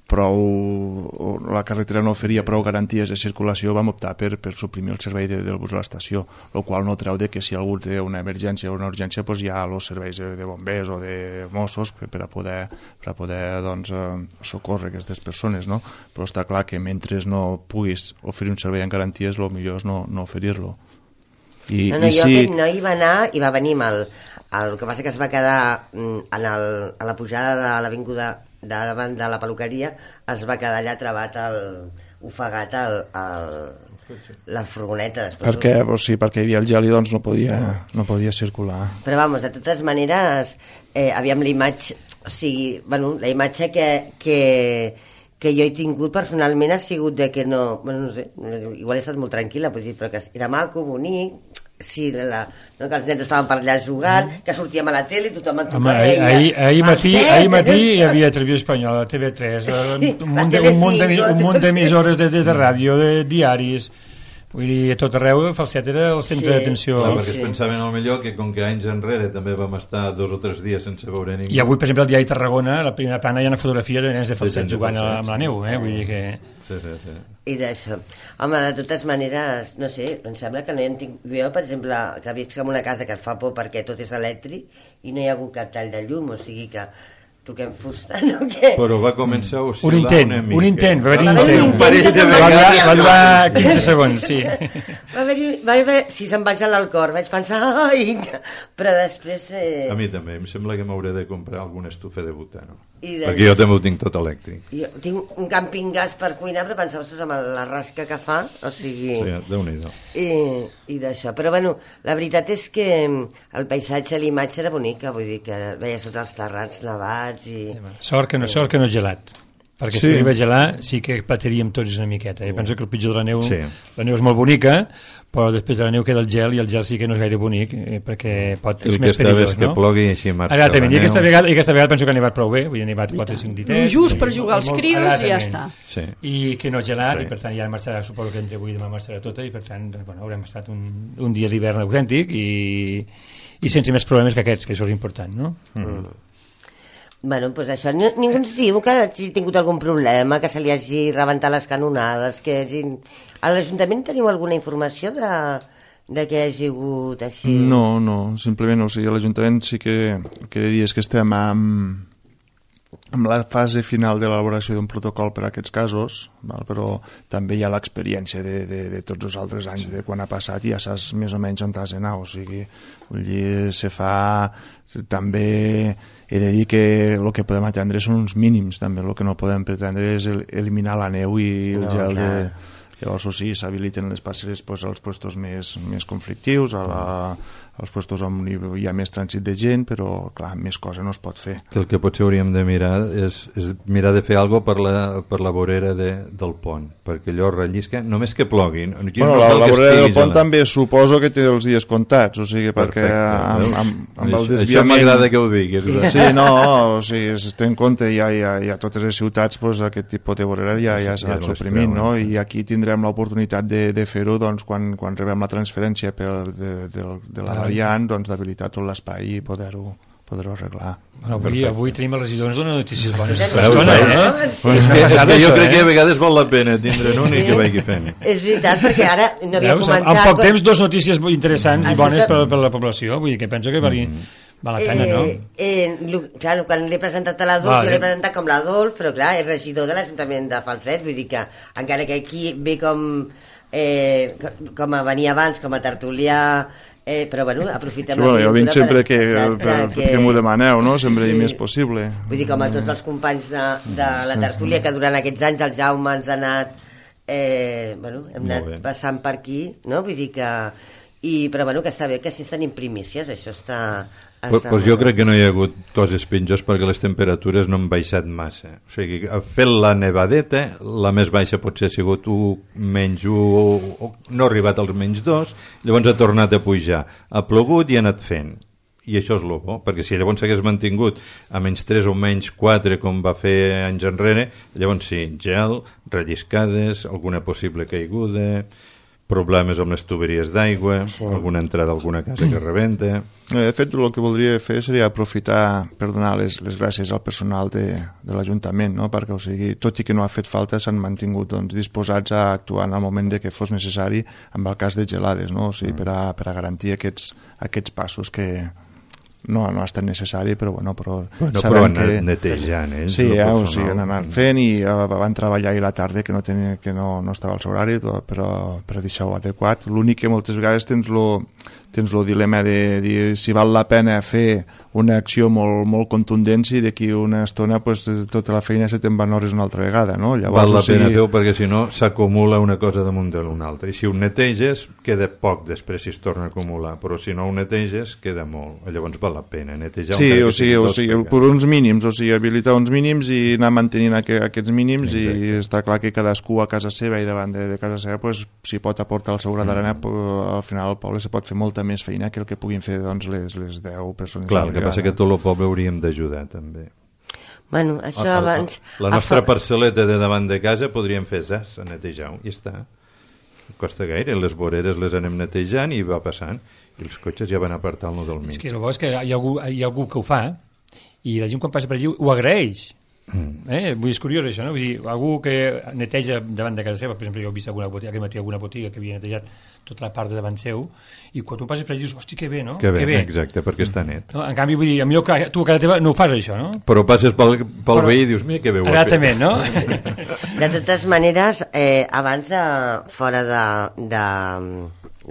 prou la carretera no oferia prou garanties de circulació, vam optar per, per suprimir el servei de, del bus a l'estació, el qual no treu de que si algú té una emergència o una urgència, doncs hi ha els serveis de, de bombers o de Mossos per, per a poder, per a poder doncs, socórrer aquestes persones, no? Però està clar que mentre no puguis oferir un servei amb garanties, el millor és no, no oferir-lo. I, no, no, i jo si... aquest noi va anar i va venir amb el, el que passa que es va quedar en el, a la pujada de l'avinguda de davant de la peluqueria, es va quedar allà trebat el, ofegat el, el, la furgoneta després. Perquè, o sigui, perquè hi havia el gel i doncs no podia, no podia circular. Però vamos, de totes maneres eh, aviam la imatge, o sigui, bueno, la imatge que, que, que jo he tingut personalment ha sigut de que no, bueno, no sé, igual he estat molt tranquil·la, però que era maco, bonic, sí, la, no, que els nens estaven per allà jugant, que sortíem a la tele i tothom en Home, ahir, ahir, ahir, matí, ahir matí hi havia Televisió Espanyola, T V tres, sí, un, munt de, un, munt de, un munt d'emissores de, de, de ràdio, de diaris, vull dir, a tot arreu Falset era el centre sí, d'atenció. Sí, perquè es pensaven al millor que com que anys enrere també vam estar dos o tres dies sense veure ningú. I avui, per exemple, al diari Tarragona, a la primera plana hi ha una fotografia de nens de Falset jugant a, amb la neu, eh? Vull dir que... Sí, sí, sí. I d'això. Home, de totes maneres, no sé, em sembla que no hi ha tingut... Jo, per exemple, que visc en una casa que et fa por perquè tot és elèctric i no hi ha hagut cap tall de llum, o sigui que toquem fusta, no? Què? Però va començar a oscil·lar un intent, una mica. un intent, va haver-hi un intent. Un parell de va, durar, va durar quinze segons, sí. Va haver-hi, va haver, si se'm va gelar el cor, vaig pensar, ai, però després... Eh... A mi també, em sembla que m'hauré de comprar alguna estufa de butano. I de... Perquè jo també ho tinc tot elèctric. Jo tinc un camping gas per cuinar, però pensava que amb la rasca que fa, o sigui... Sí, Déu-n'hi-do. I, i d'això, però bueno, la veritat és que el paisatge, l'imatge era bonica, vull dir que veies tots els terrats nevats i... Sort que no, sort que no és gelat. perquè Sí. si arriba a gelar sí que patiríem tots una miqueta. Jo penso que el pitjor de la neu, Sí. la neu és molt bonica, però després de la neu queda el gel, i el gel sí que no és gaire bonic, eh, perquè pot, El és que més està bé perillós, és que no? plogui i així marxa Exactament, i la aquesta neu. vegada, i aquesta vegada penso que ha nevat prou bé, vull dir, ha nevat quatre o cinc ditets. Just i- per jugar als molt- crios i ja exactament. està. Sí. I que no ha gelat, Sí. i per tant ja marxarà, suposo que entre avui i demà marxarà tota, i per tant doncs, bueno, haurem estat un, un dia d'hivern autèntic i, i sense més problemes que aquests, que això és important, no? Mm. Bueno, doncs això, ni, ningú ens diu que hagi tingut algun problema, que se li hagi rebentat les canonades, que hagin... A l'Ajuntament teniu alguna informació de, de què hagi hagut així? No, no, simplement, o sigui, a l'Ajuntament sí que el que he de dir és que estem amb, amb la fase final de l'elaboració d'un protocol per a aquests casos, val? Però també hi ha l'experiència de, de, de tots els altres anys, de quan ha passat, i ja saps més o menys on t'has d'anar, o sigui, vull dir, se fa també... He de dir que el que podem atendre són uns mínims, també el que no podem pretendre és el, eliminar la neu i el No, gel clar. de... Llavors, o sigui, s'habiliten les passeres pues, als puestos més, més conflictius, a la, als puestos on hi ha més trànsit de gent, però, clar, més cosa no es pot fer. Que el que potser hauríem de mirar és, és mirar de fer alguna per la, per la vorera de, del pont, perquè allò rellisca, només que plogui. No, Bueno, la, la vorera del pont també suposo que té els dies comptats, o sigui, perquè amb, amb, amb el Això, desviament... això m'agrada que ho diguis. Sí, no, o sigui, es té en compte, ja, ja, ja a totes les ciutats pues, aquest tipus de vorera ja, ja s'ha Ja anat no es suprimint, treuen. no? I aquí tindrem l'oportunitat de, de fer-ho doncs, quan, quan rebem la transferència per, de, de, de la variant, doncs, d'habilitar tot l'espai i poder-ho poder-ho arreglar. Bueno, avui, avui tenim el regidor, ens dona notícies bones. Veus, Dona, veus? no? Sí. És que, és passada, que jo això, crec que eh? a vegades val la pena tindre'n un i que vagi fent. És veritat, perquè ara no havia Veus? comentat... En poc temps, dos notícies interessants i Això bones que- per, per la població. Vull dir que penso que vali, val la pena, no? Eh, eh, lo- clar, quan l'he presentat a l'Adolf, Vale. jo l'he presentat com l'Adolf, però clar, és regidor de l'Ajuntament de Falset, vull dir que encara que aquí ve com, eh, com a venir abans, com a tertulià, eh, però bueno, aprofitem Sí, bueno, jo vinc sempre que, exacte, per, que, que m'ho demaneu, no? Sempre Sí. sí. més possible. Vull dir, com a tots els companys de, de la tertúlia, que durant aquests anys el Jaume ens ha anat, eh, bueno, hem Molt anat bé. passant per aquí, no? Vull dir que... I, però bueno, que està bé que si tenim primícies, això està... Pues, està pues molt jo bé. crec que no hi ha hagut coses pitjors perquè les temperatures no han baixat massa. O sigui, fet la nevadeta, la més baixa potser ha sigut un, menys un, o no ha arribat als menys dos, llavors ha tornat a pujar. Ha plogut i ha anat fent. I això és el bo, perquè si llavors s'hagués mantingut a menys tres o menys quatre com va fer anys enrere, llavors sí, gel, relliscades, alguna possible caiguda, problemes amb les tuberies d'aigua, alguna entrada a alguna casa que rebenta... Eh, De fet, el que voldria fer seria aprofitar per donar les, les gràcies al personal de, de l'Ajuntament, no? Perquè, o sigui, tot i que no ha fet falta, s'han mantingut doncs, disposats a actuar en el moment de que fos necessari en el cas de gelades, no? O sigui, per, a, per a garantir aquests, aquests passos que no, no ha estat necessari, però, bueno, però, Bueno, sabem però han que... anat netejant, ells, Sí, el eh, o personal. sigui, han anat fent i eh, van treballar ahir a la tarda que no, tenia, que no, no estava al seu horari, però, però per deixar-ho adequat. L'únic que moltes vegades tens lo, tens el dilema de dir si val la pena fer una acció molt, molt contundent i d'aquí una estona pues, tota la feina se te'n van hores una altra vegada, no? Llavors, Val la o sigui, pena fer-ho perquè si no s'acumula una cosa damunt de l'una altra i si ho neteges queda poc després si es torna a acumular, però si no ho neteges queda molt, llavors val la pena netejar Sí, encara o que sigui, o tot, sigui, perquè- per uns mínims, o sigui, habilitar uns mínims i anar mantenint aqu aquests mínims Exacte. i està clar que cadascú a casa seva i davant de, de casa seva pues, si pot aportar el seu gra d'arena, mm. al final al poble se pot fer molta més feina que el que puguin fer doncs, les, les deu persones Clar, a la el que passa vegada. que tot el poble hauríem d'ajudar també. Bueno, això El- el- abans... La nostra parcel·leta de davant de casa podríem fer zas, a netejar-ho, i està. No costa gaire, les voreres les anem netejant i va passant, i els cotxes ja van apartant-lo del mig. És que el bo és que hi ha, algú, hi ha algú que ho fa i la gent quan passa per allí ho agraeix. Mm. Eh? Vull dir, és curiós això, no? Vull dir, algú que neteja davant de casa seva, per exemple, jo he vist alguna botiga, aquest matí alguna botiga que havia netejat tota la part de davant seu, i quan tu passes per allí dius, hosti, que bé, no? Que bé, exacte, perquè està net. No? En canvi, vull dir, a millor que tu a casa teva no ho fas, això, no? Però passes pel, pel Però- veí i dius, mira que bé ho ha fet. Exactament, no? De totes maneres, eh, abans, de, fora de, de,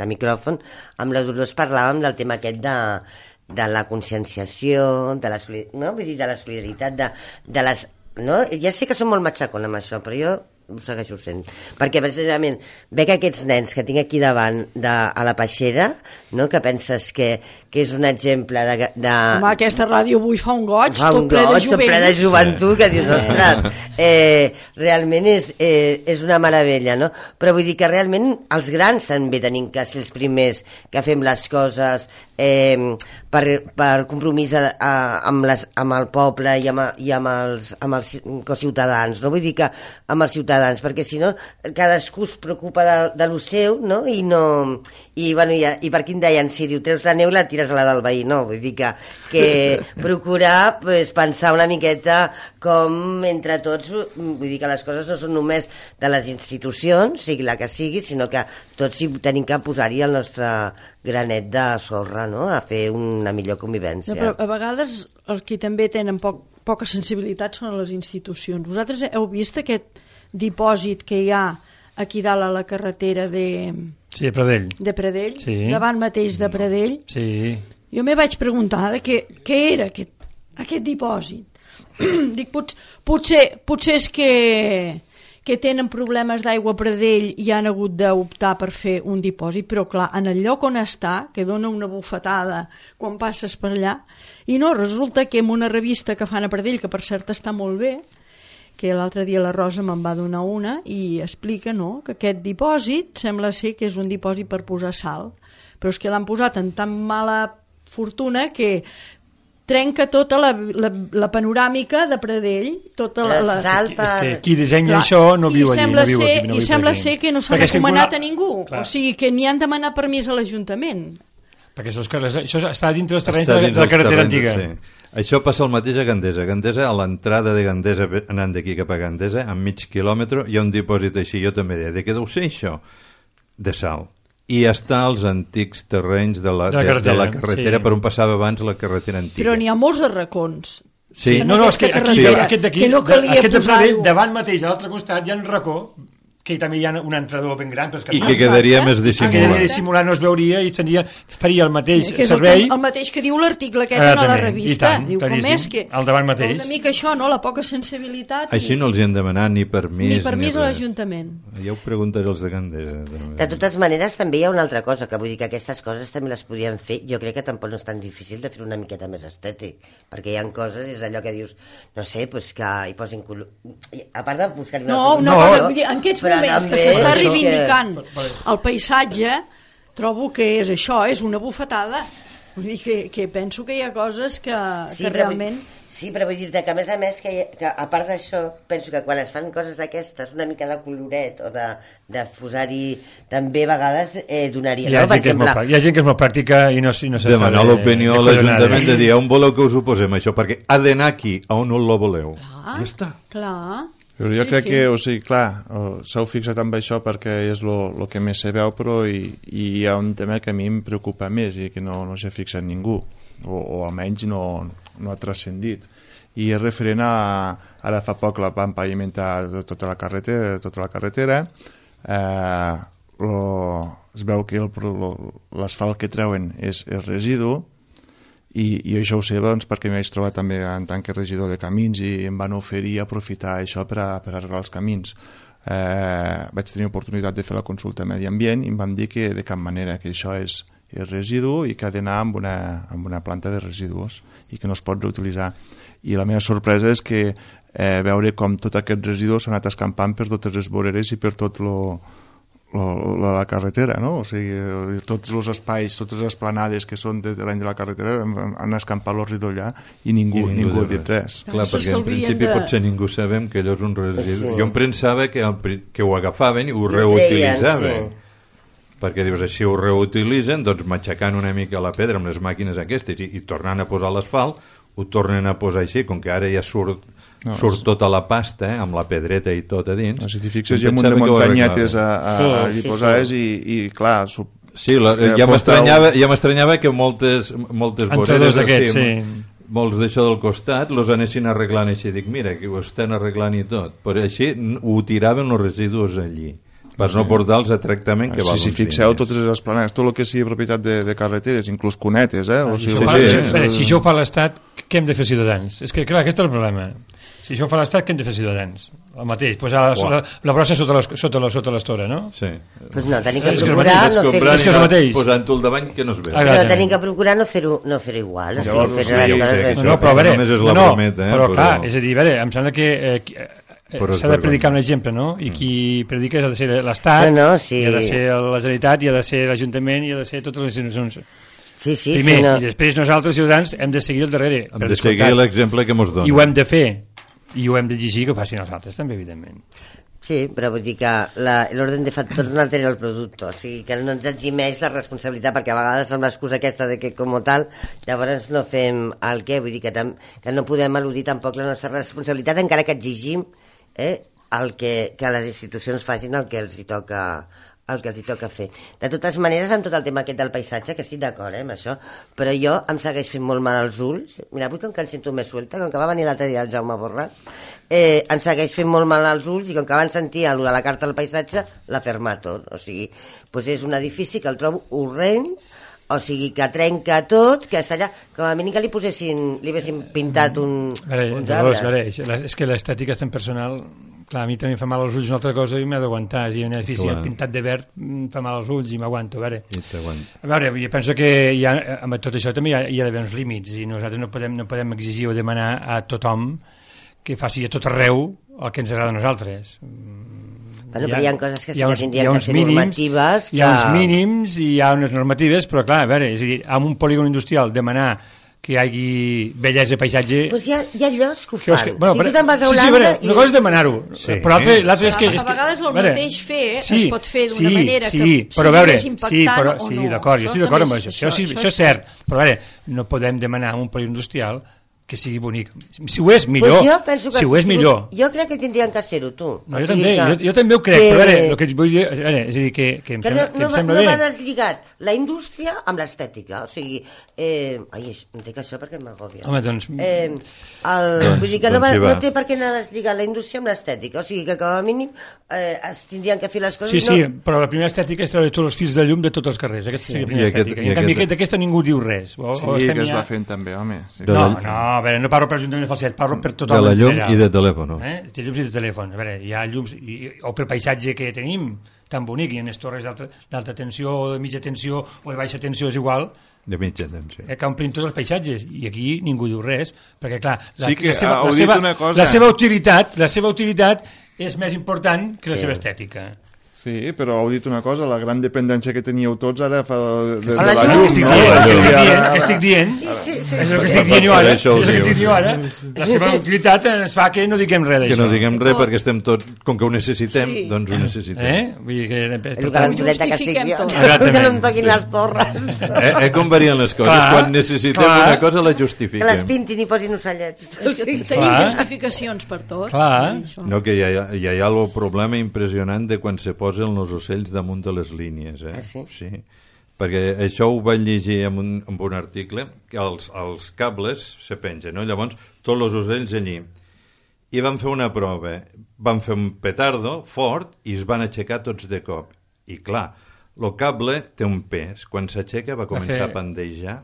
de micròfon, amb la Dolors parlàvem del tema aquest de, de la conscienciació, de la, solid- no? Vull dir, de la solidaritat, de, de les... No? Ja sé que som molt matxacón amb això, però jo ho segueixo sent, perquè precisament veig aquests nens que tinc aquí davant de, a la peixera, no? Que penses que, que és un exemple de, de... Home, aquesta ràdio avui fa un goig, fa un tot ple goig, de jovent. ple de joventut, que dius, ostres, eh, realment és, eh, és una meravella, no? Però vull dir que realment els grans també tenim que ser els primers que fem les coses eh, per, per compromís a, a, amb, les, amb el poble i amb, i amb els, amb els ciutadans, no? Vull dir que amb els ciutadans, perquè si no cadascú es preocupa de, de lo seu, no? I no i, bueno, i, i per aquí em deien, si diu, treus la neu i la tires a la del veí, no? Vull dir que, que procurar pues, pensar una miqueta com entre tots, vull dir que les coses no són només de les institucions, sigui la que sigui, sinó que tots hi tenim que posar-hi el nostre granet de sorra, no? A fer una millor convivència. No, però a vegades els que també tenen poc, poca sensibilitat són les institucions. Vosaltres heu vist aquest dipòsit que hi ha aquí dalt a la carretera de... Sí, a Pradell. De Pradell, sí. Davant mateix de Pradell. Sí. Jo me vaig preguntar de què, què era aquest, aquest dipòsit. Dic, pot, potser, potser és que, que tenen problemes d'aigua a Pradell i han hagut d'optar per fer un dipòsit, però clar, en el lloc on està, que dona una bufetada quan passes per allà, i no, resulta que en una revista que fan a Pradell, que per cert està molt bé, que l'altre dia la Rosa me'n va donar una i explica, no?, que aquest dipòsit sembla ser que és un dipòsit per posar sal, però és que l'han posat en tan mala fortuna que trenca tota la, la, la panoràmica de Pradell, tota la... la... És, que, és que qui dissenya clar, això no viu allí. No viu ser, aquí, no I viu sembla aquí. ser que no s'ha recomanat a ningú, clar. O sigui que n'hi han demanat permís a l'Ajuntament. Perquè això, és, això està dintre dels terrenys de, de la carretera terrenys, antiga. Sí. Això passa el mateix a Gandesa. A Gandesa, a l'entrada de Gandesa, anant d'aquí cap a Gandesa, a mig quilòmetre, hi ha un dipòsit així. Jo també deia, de què deu ser això? De sal. I està als antics terrenys de la, de la carretera, de la carretera sí. Per on passava abans la carretera antiga. Però n'hi ha molts de racons. Sí, no, no, és que aquí, sí. aquest d'aquí, no aquest de Pradell, davant mateix, a l'altre costat, hi ha un racó que també hi ha un entrador ben gran, però i que quedaria més dissimulat. Que quedaria dissimulat, no es veuria i tenia, faria el mateix que servei. El, el mateix que diu l'article aquest ah, a la revista. Tant, diu, com és que... Al davant mateix. Una mica això, no?, la poca sensibilitat. Així i... no els hi han demanat ni permís. Ni permís ni a l'Ajuntament. Ja ho preguntaré als de Gandesa. També. De totes maneres, també hi ha una altra cosa, que vull dir que aquestes coses també les podien fer. Jo crec que tampoc no és tan difícil de fer una miqueta més estètic, perquè hi ha coses, és allò que dius, no sé, pues que hi posin... Color... A part de buscar-hi una... No, no, no, no, en aquests moments que s'està reivindicant que... el paisatge, trobo que és això, és una bufetada. Vull dir que, que penso que hi ha coses que, sí, que realment... Vull, sí, però vull dir-te que a més a més, que, que a part d'això, penso que quan es fan coses d'aquestes, una mica de coloret o de, de posar-hi també a vegades eh, donaria... Hi ha, no? gent exemple... hi ha gent que és molt pràctica i no, no se sabe... Demanar l'opinió a l'Ajuntament de dir on voleu que us ho posem això, perquè ha d'anar aquí, on no lo voleu. Clar, ja està. Clar... Però jo sí, crec sí. que, o sigui, clar, s'heu fixat amb això perquè és el que més se veu, però i, i hi ha un tema que a mi em preocupa més i que no, no s'ha fixat ningú, o, o almenys no, no ha transcendit. I és referent a... Ara fa poc la van pavimentar tota la carretera, tota la carretera eh, lo, es veu que l'asfalt que treuen és, és residu, I, i això ho sé doncs, perquè m'hi vaig trobar també en tant que regidor de camins i em van oferir aprofitar això per, a, per arreglar els camins. Eh, vaig tenir oportunitat de fer la consulta a Medi Ambient i em van dir que de cap manera, que això és, és residu i que ha d'anar amb, una, amb una planta de residus i que no es pot reutilitzar. I la meva sorpresa és que eh, veure com tot aquest residu s'ha anat escampant per totes les voreres i per tot lo La, la carretera, no? O sigui, tots els espais, totes les esplanades que són de, de l'any de la carretera han escampat l'orridor allà i ningú, I ningú, ningú ha dit res. Clar, perquè en principi de... potser ningú sabem que allò és un residu. Sí. Jo em pensava que, que ho agafaven i ho reutilitzaven. Sí. Perquè dius, així ho reutilitzen, doncs matxacant una mica la pedra amb les màquines aquestes i, i tornant a posar l'asfalt, ho tornen a posar així, com que ara ja surt No, surt tota la pasta, eh, amb la pedreta i tot a dins. No, si t'hi fixes, hi ha un munt de muntanyetes a, a, sí, allí sí, posades sí. I, i clar... Sub... Sí, la, ja m'estranyava ja m'estranyava que moltes, moltes voreres, d'aquests, sí, molts d'això del costat, los anessin arreglant així. Dic, mira, que ho estan arreglant i tot. Però així ho tiraven els residus allí, per no portar-los a tractament que sí, val. Si fixeu, totes les esplanades, tot el que sigui propietat de, de carreteres, inclús cunetes, eh? O sigui, sí, sí, sí, sí. Si això ho fa l'Estat, què hem de fer ciutadans? És que, clar, aquest és el problema. Si això ho fa l'Estat, què hem de fer ciutadans? el mateix, posar la, la, la brossa sota l'estora, sota la, sota l'estora, no? Sí. Pues no, tenim que És que procurar és no fer-ho. És que és el mateix. Posant-ho al davant que no es veu. Ah, Però tenim que procurar no fer-ho no fer igual. O Llavors, sigui, fer sí, les sí, coses sí, ben No, no, però a veure, només és la no, brometa, eh, però, però- clar, és a dir, a veure, em sembla que eh, qui- eh, Però és s'ha de predicar un vergonyós. exemple, no? I qui predica ha de ser l'Estat, No, no, sí. i ha de ser la Generalitat, i ha de ser l'Ajuntament, i ha de ser totes les institucions. Sí, sí, Primer, sí, no. i després nosaltres, ciutadans, hem de seguir al darrere. Hem per de seguir descomptat. l'exemple que mos dona. I ho hem de fer, i ho hem d'exigir que ho facin els altres, també, evidentment. Sí, però vull dir que la- l'ordre de factors no altera el producte, o sigui que no ens eximeix la responsabilitat, perquè a vegades amb l'excusa aquesta de que com tal, llavors no fem el què, vull dir que, tam, que no podem eludir tampoc la nostra responsabilitat, encara que exigim eh, el que, que les institucions facin el que els hi toca el que els hi toca fer. De totes maneres, amb tot el tema aquest del paisatge, que estic d'acord eh, amb això, però jo em segueix fent molt mal als ulls. Mira, avui com que em sento més suelta, com que va venir l'altre dia el Jaume Borràs, eh, em segueix fent molt mal als ulls i com que van sentir allò de la carta del paisatge, l'ha fermat tot. O sigui, doncs és un edifici que el trobo horrent, o sigui, que trenca tot, que està allà, com a mínim que li posessin, li haguessin pintat un, A veure, uns llavors, arbres. a veure, això- és que l'estètica és tan personal. Clar, a mi també em fa mal als ulls una altra cosa i m'he d'aguantar. Si un edifici Clar. pintat de verd em fa mal als ulls i m'aguanto. A veure, I t'aguanta. a veure, jo penso que hi ha, amb tot això també hi ha, hi ha d'haver uns límits i nosaltres no podem, no podem exigir o demanar a tothom que faci a tot arreu el que ens agrada a nosaltres. Bueno, però hi ha coses que sí hi ha que uns- tindrien hi ha que uns ser mínims, normatives Hi ha que- uns mínims i hi ha unes normatives, però clar, a veure, és a dir, amb un polígon industrial demanar que hi hagi bellesa i paisatge... Pues hi ha, hi ha llocs que ho que fan. és que- bueno, si tu però- te'n vas a sí, sí, Holanda... a veure, una cosa és demanar-ho, Sí. però l'altre l'altre és que... A és que, vegades el a veure, mateix fer es sí, pot fer d'una sí, manera sí, que però a sigui veure, més sí, impactant però, o sí, no. d'acord, jo Això estic d'acord amb també això, és- això, sí, això- això és cert, però a veure, no podem demanar a un polígon industrial que sigui bonic. Si ho és, millor. Pues jo penso que si ho és, si- millor. Jo crec que tindrien que ser-ho, tu. No, O jo, sigui també, que- jo, jo també ho crec, que- però a veure, el que vull dir, a veure, és a dir, que, que em que sembla, no, que no, em va, sembla no bé. va deslligat la indústria amb l'estètica, o sigui, eh, ai, és- em dic això perquè m'agòbia. Home, doncs... Eh, el, Doncs- vull dir que no, doncs va, hi va. no té per què anar deslligat la indústria amb l'estètica, o sigui que com a mínim eh, es tindrien que fer les coses... Sí, sí, no, però la primera estètica és treure tots els fils de llum de tots els carrers. Aquesta Sí. seria la primera I aquest- estètica. i I en canvi, aquest- aquest- d'aquesta ningú diu res. O, Sí, o que estem es ja... va fent també, home. Sí. De No, la- no, a veure, no parlo per l'Ajuntament de Falset, parlo per tothom. De la en llum general. i de telèfons. Eh? De llums i de telèfons. A veure, hi ha llums, i, o pel paisatge que tenim, tan bonic, hi ha unes torres d'alta- d'alta tensió, o de mitja tensió, o de baixa tensió, és igual, De mitja tensió. eh, que omplin tots els paisatges, i aquí ningú diu res, perquè clar, la, Sí que la, seva, heu la, dit seva, una cosa. la seva utilitat, la seva utilitat és més important que la Sí. seva estètica. Sí, però heu dit una cosa, la gran dependència que teníeu tots ara fa de, de, de Hola, la jo- llum, Estic no? dient, La estic llum. dient, Ara- estic dient, Sí, sí, sí. és el que estic dient jo ara, Per és això ho el que estic dius. dient jo ara. La seva utilitat ens fa que no diguem res Que d'això. no diguem res perquè estem tots, com que ho necessitem, Sí. doncs ho necessitem. Eh? Vull dir que... Per, El per que la tant, xuleta que estic justifiquem jo. tot. Que no em Exactament. toquin les torres. Eh, eh, com varien les coses? Clar, Quan necessitem clar. una cosa la Que les justifiquem. pintin i posin ocellets. Tenim Clar. justificacions per tot. Clar. Això. No, que hi ha, hi ha el problema impressionant de quan se posen els ocells damunt de les línies. Eh? Ah, sí? Sí. Perquè això ho vaig llegir en un, en un article, que els, els cables se pengen, no? Llavors tots els ocells allí. I van fer una prova, van fer un petardo fort i es van aixecar tots de cop. I clar, el cable té un pes. Quan s'aixeca va començar fer- a pandejar,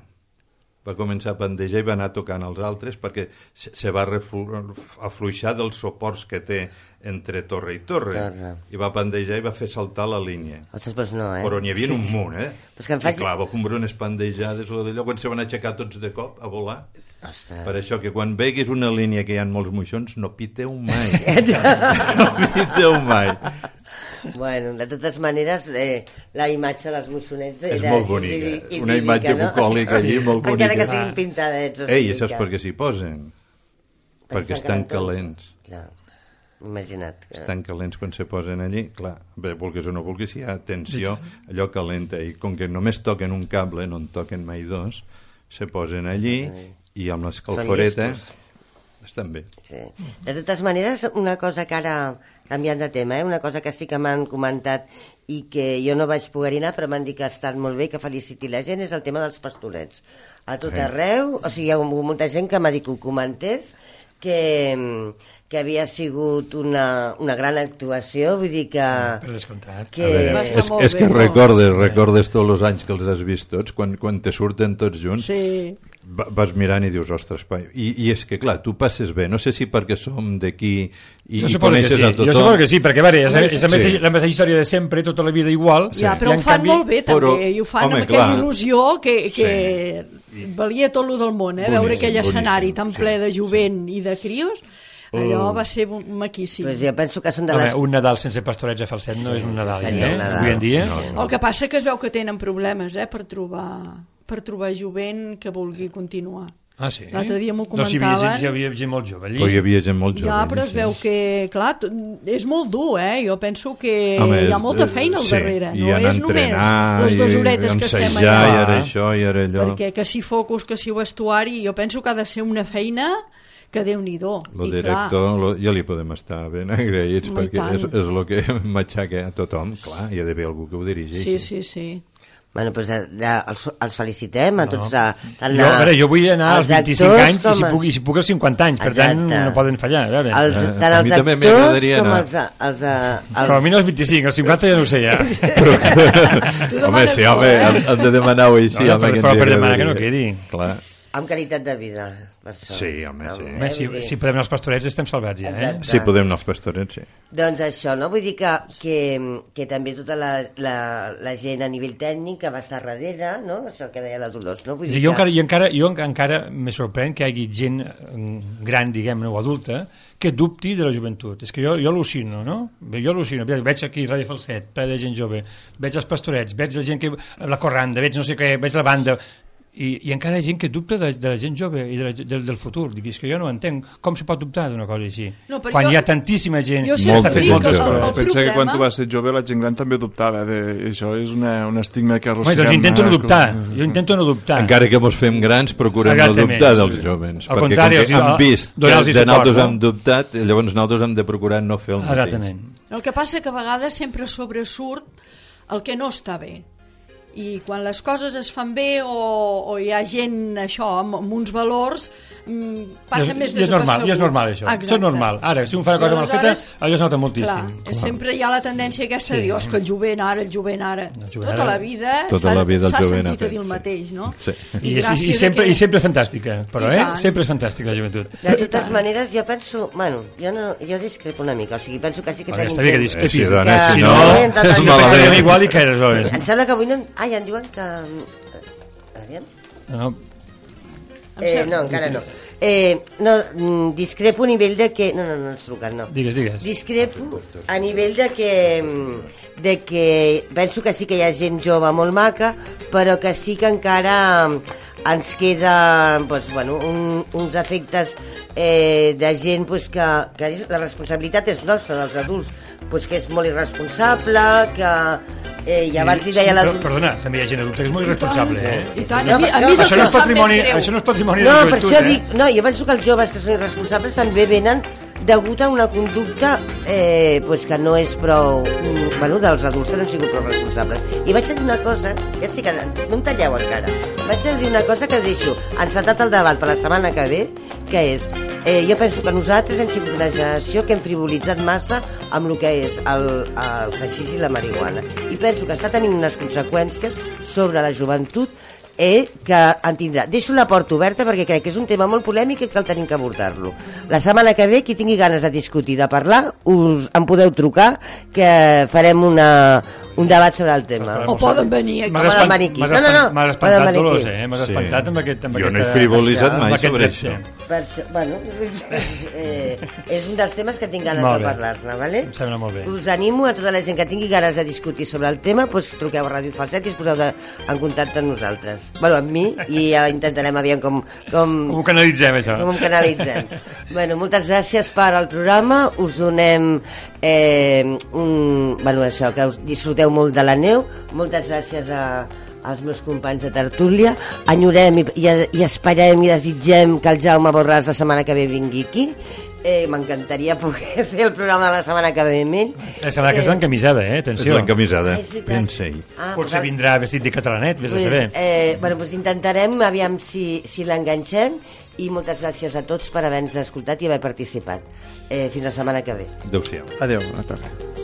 va començar a pandejar i va anar tocant els altres perquè se, se va reflu- afluixar dels suports que té entre torre i torre. Torre. I va pandejar i va fer saltar la línia. Ostres, doncs no, eh? Però n'hi havia un munt, eh? Pues que em faig- I clar, va comprar unes pandejades o d'allò, quan se van aixecar tots de cop a volar. Ostres. Per això que quan veguis una línia que hi ha molts moixons, no piteu mai. no piteu mai. Bueno, de totes maneres, eh, la imatge dels moixonets És era molt així, bonica. idíl·lica, Una imatge no? bucòlica allí, molt bonica. Encara que siguin pintadets. o Ei, sigui i saps que- per què s'hi posen? Perquè estan calents. Clar, imagina't. Que... Estan calents quan se posen allí. Clar, bé, vulguis o no vulguis, si hi ha tensió, allò calenta. I com que només toquen un cable, no en toquen mai dos, se posen allí i amb l'escalforeta llestos. estan bé. Sí. De totes maneres, una cosa que ara, canviant de tema, eh? una cosa que sí que m'han comentat i que jo no vaig poder anar, però m'han dit que ha estat molt bé, que feliciti la gent, és el tema dels pastorets. A tot Sí. arreu, o sigui, hi ha molta gent que m'ha dit que ho comentés, que, que havia sigut una, una gran actuació, vull dir que... Per descomptat. que... A veure, Va estar és, molt és bé, que no? recordes, recordes tots els anys que els has vist tots, quan, quan te surten tots junts, Sí. vas mirant i dius, ostres, i, i és que clar, tu passes bé, no sé si perquè som d'aquí i, i coneixes sí. a tothom. Jo suposo que sí, perquè veure, és, és, és sí. la mateixa història de sempre, tota la vida igual. Ja, però ho fan canvi... molt bé també, però, i ho fan home, amb aquella clar. il·lusió que, que sí. valia tot lo del món, eh? Boníssim, veure aquell boníssim, escenari tan ple sí, de jovent sí. i de crios. Allò va ser maquíssim. Pues jo penso que són de les... Home, un Nadal sense pastorets a falset no sí, és un Nadal, eh? Un Nadal. Avui en dia. No, no. El que passa que es veu que tenen problemes eh, per trobar per trobar jovent que vulgui continuar. Ah, sí? L'altre dia m'ho comentaven. comentaven. No, hi havia gent molt jove allí. Però hi havia gent molt jove. Ja, però es veu que, clar, és molt dur, eh? Jo penso que home, hi ha molta feina al sí, darrere. I no és només les dues horetes que estem allà. I ara això, i ara allò. Perquè que si focus, que si vestuari, jo penso que ha de ser una feina que Déu-n'hi-do. El director, lo, ja li podem estar ben agraïts, no, perquè és, és el que m'aixaca a tothom. Clar, hi ha d'haver algú que ho dirigeixi. Sí, sí, sí. Bueno, doncs ja, els, els felicitem a tots. A, a, jo, a veure, jo vull anar als vint-i-cinc anys i si puc, i si puc als cinquanta anys, per Exacte. tant no poden fallar. A, veure. Els, tant a els mi també actors com anar. els, els, els... Però a mi no als vint-i-cinc, als cinquanta ja no ho sé ja. Però, home, sí, home, hem, hem de demanar-ho així. No, no, home, però, però per demanar que no quedi. Clar. Amb qualitat de vida. Per això. Sí, home, sí. Home, home si, si podem anar als pastorets estem salvats ja, eh? Sí, podem anar als pastorets, sí. Doncs això, no? Vull dir que, que, que també tota la, la, la gent a nivell tècnic que va estar darrere, no? Això que deia la Dolors, no? Vull dir jo, que... encara, jo encara, jo encara me sorprèn que hi hagi gent gran, diguem-ne, o adulta, que dubti de la joventut. És que jo, jo al·lucino, no? Jo al·lucino. Veig aquí Ràdio Falset, ple de gent jove, veig els pastorets, veig la gent que... la corranda, veig no sé què, veig la banda... I, i encara hi ha gent que dubta de, de la gent jove i de la, de, del futur. Dic, és que jo no entenc com se pot dubtar d'una cosa així no, quan jo, hi ha tantíssima gent jo que està fent moltes coses. Pensa problema... que quan tu vas ser jove la gent gran també dubtava de... això és una, un estigma que arrosseguem. Home, doncs intento no dubtar com... jo intento no dubtar encara que mos fem grans procurem no dubtar dels sí. jovens al perquè contrari, com que hem vist que de nosaltres hem dubtat llavors nosaltres hem de procurar no fer el mateix. Exactament. El que passa que a vegades sempre sobresurt el que no està bé i quan les coses es fan bé o, o hi ha gent això amb, amb uns valors mm, passa I, més i és normal, i és normal això. Exacte. Això és normal. Ara, si un fa una cosa mal feta, allò es nota moltíssim. Clar, sempre hi ha la tendència aquesta sí. de dir, oh, és que el jovent ara, el jovent ara el jovent tota ara, la vida tota la vida s'ha sentit fet, a dir el mateix, no? Sí. I, I, i, sempre, que... i sempre és fantàstica, però eh? sempre és fantàstica la joventut. De totes maneres, jo penso, bueno, jo, no, jo discrepo una mica, o sigui, penso que sí que tenim gent... Que discrepis, sí, dona, que... si no, és malament. Igual i que eres, oi? Em sembla que avui no... Ai, em diuen que... Aviam? No, no. Eh, no, encara no. Eh, no, discrepo a nivell de que... No, no, no ens truquen, no. Digues, digues. Discrepo a nivell de que... de que penso que sí que hi ha gent jove molt maca, però que sí que encara ens queda pues, bueno, un, uns efectes eh, de gent pues, que, que la responsabilitat és nostra, dels adults, pues, que és molt irresponsable, que... Eh, i abans li deia la... Però, perdona, també hi ha gent adulta que és molt irresponsable, eh? I tant, a mi, a mi això, no és patrimoni, això no és patrimoni no, de la joventut, per això eh? dic, no, jo penso que els joves que són irresponsables també venen degut a una conducta eh, pues que no és prou... Bueno, dels adults que no han sigut prou responsables. I vaig a dir una cosa, ja sé que no em talleu encara, vaig a dir una cosa que deixo encetat el debat per la setmana que ve, que és, eh, jo penso que nosaltres hem sigut una generació que hem frivolitzat massa amb el que és el, el haixix i la marihuana. I penso que està tenint unes conseqüències sobre la joventut eh, que en tindrà. Deixo la porta oberta perquè crec que és un tema molt polèmic i que el tenim que abordar-lo. La setmana que ve, qui tingui ganes de discutir, de parlar, us en podeu trucar, que farem una, un debat sobre el tema. O poden venir aquí. M'has espant, no, no, no. espantat, Dolors, eh? M'has sí. espantat amb aquest... Amb jo aquesta, no he frivolitzat mai sobre això. Per això, bueno, eh, és un dels temes que tinc ganes de parlar-ne, vale? Em sembla molt bé. Us animo a tota la gent que tingui ganes de discutir sobre el tema, doncs truqueu a Ràdio Falset i es poseu de, en contacte amb nosaltres. Bueno, amb mi, i ja intentarem aviam com... Com, com ho canalitzem, això. Com ho canalitzem. Bueno, moltes gràcies per al programa, us donem eh, un... Bueno, això, que us disfruteu molt de la neu, moltes gràcies a als meus companys de tertúlia, enyorem i, i, i esperem i desitgem que el Jaume Borràs la setmana que ve vingui aquí. Eh, m'encantaria poder fer el programa de la setmana que ve amb ell. La setmana que és l'encamisada, eh? Atenció. És l'encamisada. Ah, Pensa-hi. ah, potser vindrà vestit de catalanet, vés pues, a saber. Eh, bueno, pues intentarem, aviam si, si l'enganxem, i moltes gràcies a tots per haver-nos escoltat i haver participat. Eh, fins la setmana que ve. Adéu-siau. Adéu, bona tarda.